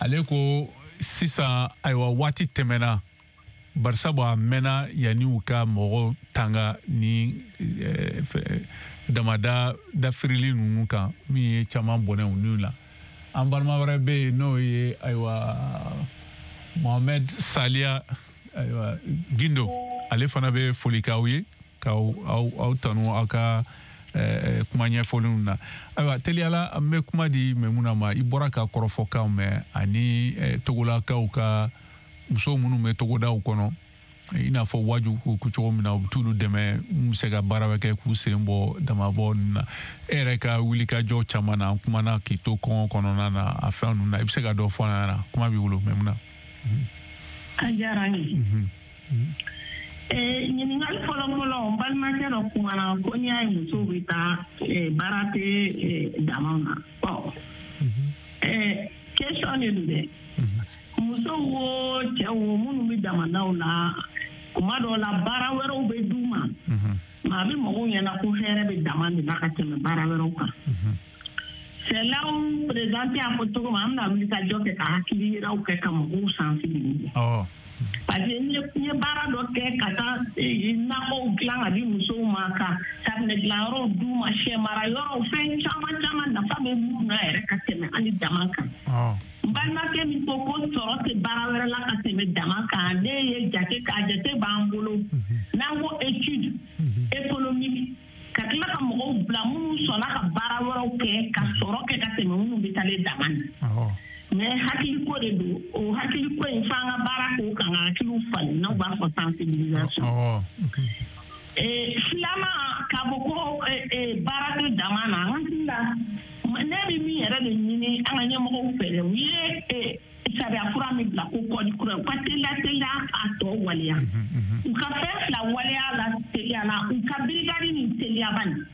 Ale ko sisan, ayiwa, waati tɛmɛna, barisabu a mɛnna yanni u ka mɔgɔw tanga ni damada dafirili ninnu kan, min ye caman bɔnɛ u niw la. An balima wɛrɛ bɛ yen, n'o ye ayiwa Mohamed Salia, ayiwa, Gindo, ale fana bɛ foli k'aw ye, k'aw aw tanu aw ka kuma ɲɛfɔlenw na. Ayiwa, teliyala, an bɛ kuma di Maimuna ma. I bɔra ka kɔrɔfɔkanw mɛn, ani togolakaw ka muso minnu bɛ togodaw kɔnɔ, i n'a fɔ Waju ko cogo min na, u bɛ t'olu dɛmɛ mun bɛ se ka baara bɛ kɛ k'u sen bɔ damabɔ ninnu na. E yɛrɛ ka wulikajɔ caman na, an kumana k'i to kɔngɔ kɔnɔna na, a fɛn ninnu na, i bɛ se ka dɔ fɔ an ɲɛna? Kuma b'i bolo, Maimuna. A diyara n ye. Ɲininkali fɔlɔ-fɔlɔ, n balimakɛ dɔ kumana ko n'i y'a ye musow bɛ taa baara tɛ damaw na. Bon, question de don dɛ. Musow wo, cɛw wo, minnu bɛ damandaw la, kuma dɔw la baara wɛrɛw bɛ d'u ma. Mais a bɛ mɔgɔw ɲɛna ko hɛrɛ bɛ dama de la ka tɛmɛ baara wɛrɛw kan. C'est là où président y'a fɔ cogo min, an bɛna wuli ka jɔ kɛ ka hakili yiraw kɛ ka mɔgɔw sensibiliser. Parce que n ye baara dɔ kɛ ka taa nakɔw dilan ka di musow ma, ka safunɛ dilanyɔrɔw d'u ma, sɛ mara yɔrɔw, fɛn caman caman nafa bɛ minnu na yɛrɛ ka tɛmɛ hali dama kan. N balimakɛ min ko ko sɔrɔ tɛ baara wɛrɛ la ka tɛmɛ dama kan, ne ye jate k'a jate b'an bolo. N'an ko étude économique, ka tila ka mɔgɔw bila minnu sɔnna ka baara wɛrɛw kɛ ka sɔrɔ kɛ ka tɛmɛ minnu bɛ taalen dama na. Mais hakiliko de don, o hakiliko in f'an ka baara k'o kan ka hakiliw falen, n'aw b'a fɔ sensibilisation. Filanan, k'a fɔ ko baara tɛ dama na, an hakili la Ne bɛ min yɛrɛ de ɲini an ka ɲɛmɔgɔw fɛ dɛ, u ye sariya kura min bila ko kɔdi kura, u ka teliya a tɔ waleya. U ka fɛn fila waleya la teliya la, u ka brigade nin teliyaba nin.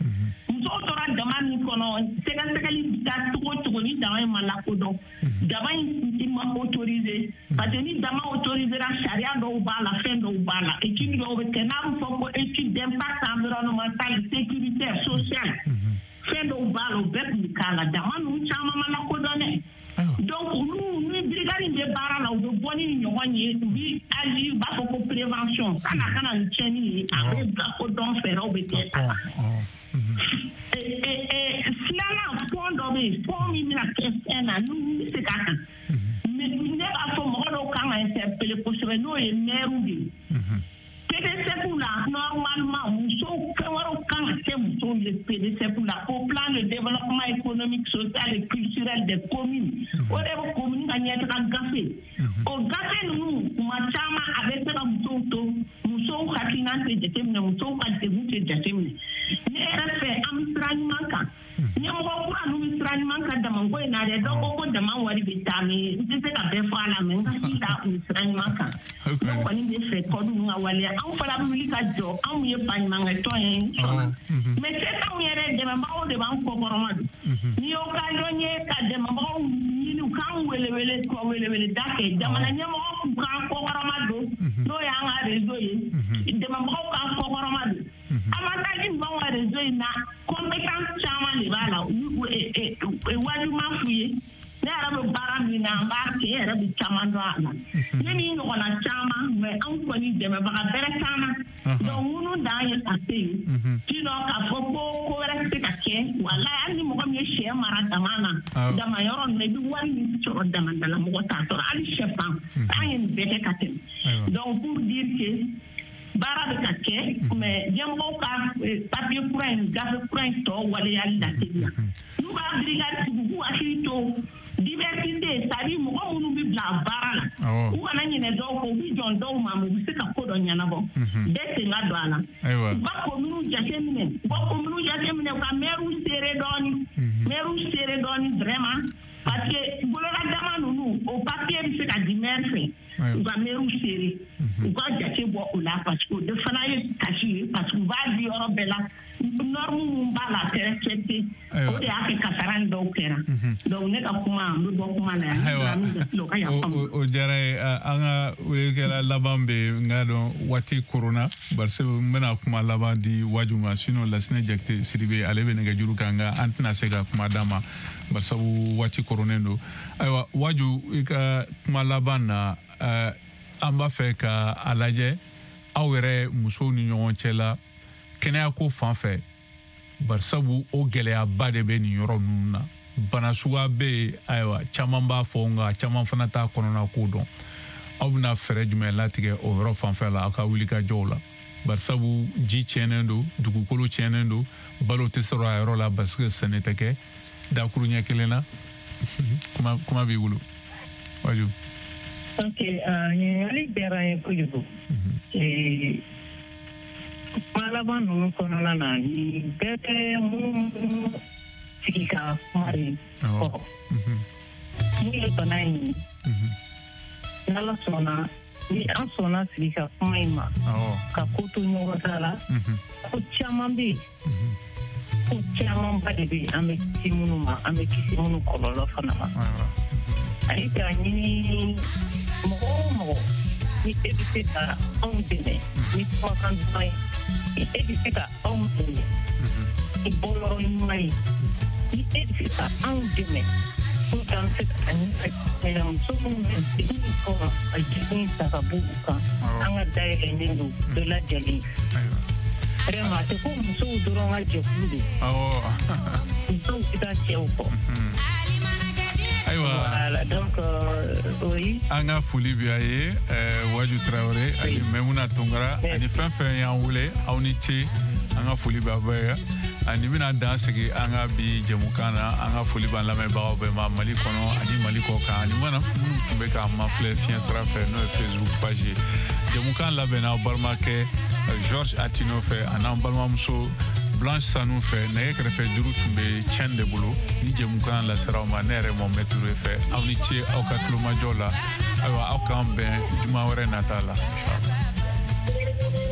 Musow tora dama min kɔnɔ, sɛgɛsɛgɛli bɛ taa cogo o cogo ni dama in ma lakodɔn, dama in ma autorisé, parce que ni dama autorisé la, sariya dɔw b'a la, fɛn dɔw b'a la, étude dɔw bɛ kɛ n'a bɛ fɔ ko étude d'impact environnemental, sécuritaire, social, fɛn dɔw b'a la, o bɛɛ tun bɛ k'a la. Dama ninnu caman ma lakodɔn dɛ. Donc olu ni brigade in bɛ baara la, u bɛ bɔ ni ɲɔgɔn ye, u bɛ agir, u b'a fɔ ko prévention, kana ni tiɲɛni ye, a bɛ lakodɔn, fɛɛrɛw bɛ kɛ a la. Filanan, fɔn dɔ bɛ yen, fɔn min bɛna kɛ fɛn na, n'u bɛ se k'a kan. Ne b'a fɔ mɔgɔ dɔw kan ka interpeller kosɛbɛ, n'o ye maire de ye. PDSEC la, normalement, musow fɛn wɛrɛw kan ka kɛ musow ye PDSEC la, ko plan de développement économique, social et culturel des communes. O de bɛ commune ka ɲɛtaga gafe. O gafe ninnu, kuma caman a bɛ se ka musow to, musow hakilina tɛ jateminɛ, musow ka degun tɛ jateminɛ. Ne yɛrɛ fɛ, an bɛ sira ɲuman kan. Ɲɛmɔgɔ kura ninnu bɛ sira ɲuman kan damako in na dɛ. Dɔw ko ko dama wari bɛ taa, mais n tɛ se ka bɛɛ fɔ a la, mais n hakili la u bɛ sira ɲuman kan. Ne kɔni bɛ fɛ kɔdu ninnu ka waleya. Anw fana bɛ wuli ka jɔ, anw ye baɲumankɛtɔn ye sɔnna. Mais se t'anw yɛrɛ, dɛmɛbagaw de b'an kɔkɔrɔma don. Ni occasion ye ka dɛmɛbagaw ɲini, u k'an wele ka weleweleda kɛ, jamana ɲɛmɔgɔ k'u k'an kɔkɔrɔma don, n'o y'an ka réseau ye, dɛmɛbagaw k'an kɔkɔrɔma don. Avantage min b'anw ka réseau in na, compétence caman de b'a la, wajuma f'u ye. Ne yɛrɛ bɛ baara min na, n b'a kɛ, e yɛrɛ bɛ caman dɔn a la. Ne ni ɲɔgɔnna caman, mais anw kɔni dɛmɛbaga bɛrɛ t'an na. Donc minnu dan ye ka se yen, sinon k'a fɔ ko ko wɛrɛ tɛ se ka kɛ, walayi hali ni mɔgɔ min ye sɛ mara dama na, dama yɔrɔ ninnu na, i bɛ wari min sɔrɔ damada la, mɔgɔ t'a sɔrɔ, hali sɛfan, an ye nin bɛɛ kɛ ka tɛmɛ. Donc pour dire que baara bɛ ka kɛ, mais ɲɛmɔgɔw ka papier kura in, gafe kura in tɔ waleyali la teliya. N'u b'a brigade sigi, u k'u hakili to diversité, c'est-à-dire mɔgɔ minnu bɛ bila baara la, u kana ɲinɛ dɔw kɔ, u bɛ jɔn dɔw ma, u bɛ se ka ko dɔ ɲɛnabɔ. Bɛɛ sen ka don a la. U ka communes jateminɛ, u ka communes jateminɛ, u ka maires seere dɔɔni, maires seere dɔɔni vraiment, parce que bolola dama ninnu, o papier bɛ se ka di maire fɛ. U ka maires seere, u ka jate bɔ o la, parce que o de fana ye kasi ye, parce que u b'a di yɔrɔ bɛɛ la, norme min b'a la a tɛ respecté, o de y'a kɛ kasara ni dɔw kɛra. Donc ne ka kuma, n bɛ bɔ kuma la yan. Ayiwa, o diyara ye. An ka weelekɛla laban bɛ yen, n k'a dɔn waati korona, barisa n bɛna kuma laban di Waju ma, sinon Lasinɛ Jakite Sidibe ale bɛ nɛgɛjuru kan, nka an tɛna se ka kuma d'a ma barisabu waati koronnen don. Ayiwa Waju, i ka kuma laban na, an b'a fɛ ka a lajɛ aw yɛrɛ musow ni ɲɔgɔn cɛ la kɛnɛyako fan fɛ, barisabu o gɛlɛyaba de bɛ nin yɔrɔ ninnu na. Bana suguya bɛ yen, ayiwa caman b'a fɔ, nka caman fana t'a kɔnɔna ko dɔn. Aw bɛna fɛɛrɛ jumɛn latigɛ o yɔrɔ fanfɛ la aw ka wulikajɔw la, barisabu ji tiɲɛnen don, dugukolo tiɲɛnen don, balo tɛ sɔrɔ a yɔrɔ la parce que sɛnɛ tɛ kɛ. Dakuru ɲɛ kelen na, kuma b'i bolo Waju. Ok, ɲininkali diyara n ye kojugu. Kuma laban ninnu kɔnɔna na, nin bɛɛ bɛ minnu sigi ka kuma de kɔrɔ. Mun ye bana in ye? N'Ala sɔnna, ni an sɔnna sigi ka kuma in ma, ka ko to ɲɔgɔn ta la, ko caman bɛ yen, ko camanba de bɛ yen, an bɛ kisi minnu ma, an bɛ kisi minnu kɔlɔlɔ fana ma. Ani k'a ɲini mɔgɔ o mɔgɔ, ni e bɛ se ka anw dɛmɛ ni kumakan duman ye, ni e bɛ se ka anw dɛmɛ ni bɔyɔrɔ ɲuman ye, ni e bɛ se ka anw dɛmɛ pour que an bɛ se ka ɲɛfɛ muso minnu bɛ degun in kɔnɔ, ka degun ta ka bɔ u kan, an ka dayɛlɛnnen don bɛɛ lajɛlen. Vraiment, a tɛ ko musow dɔrɔn ka jɛkulu don. Musow tɛ taa cɛw kɔ. Ayiwa, voilà, donc oui. An ka foli bɛ a ye Waju Tarawele ani Maimuna Tunkara ani fɛn fɛn y'an wele, aw ni ce, an ka foli b'a bɛɛ ye. Ani bɛna dan sigi an ka bi jɛmukan na, an ka foli b'an lamɛnbagaw bɛɛ ma Mali kɔnɔ ani Mali kɔ kan, ani mana minnu tun bɛ k'an mafilɛ fiɲɛ sira fɛ, n'o ye Facebook page ye. Jɛmukan labɛnna aw balimakɛ Georges Atino fɛ, a n'an balimamuso Blanche Sanu fɛ, nɛgɛ kɛrɛfɛ juru tun bɛ Tiɲɛ de bolo. Ni jɛmukan lasera aw ma ne yɛrɛ Mohamed Touré fɛ. Aw ni ce aw ka tulomajɔ la. Ayiwa, aw k'an bɛn juma wɛrɛ nata la, inshallah.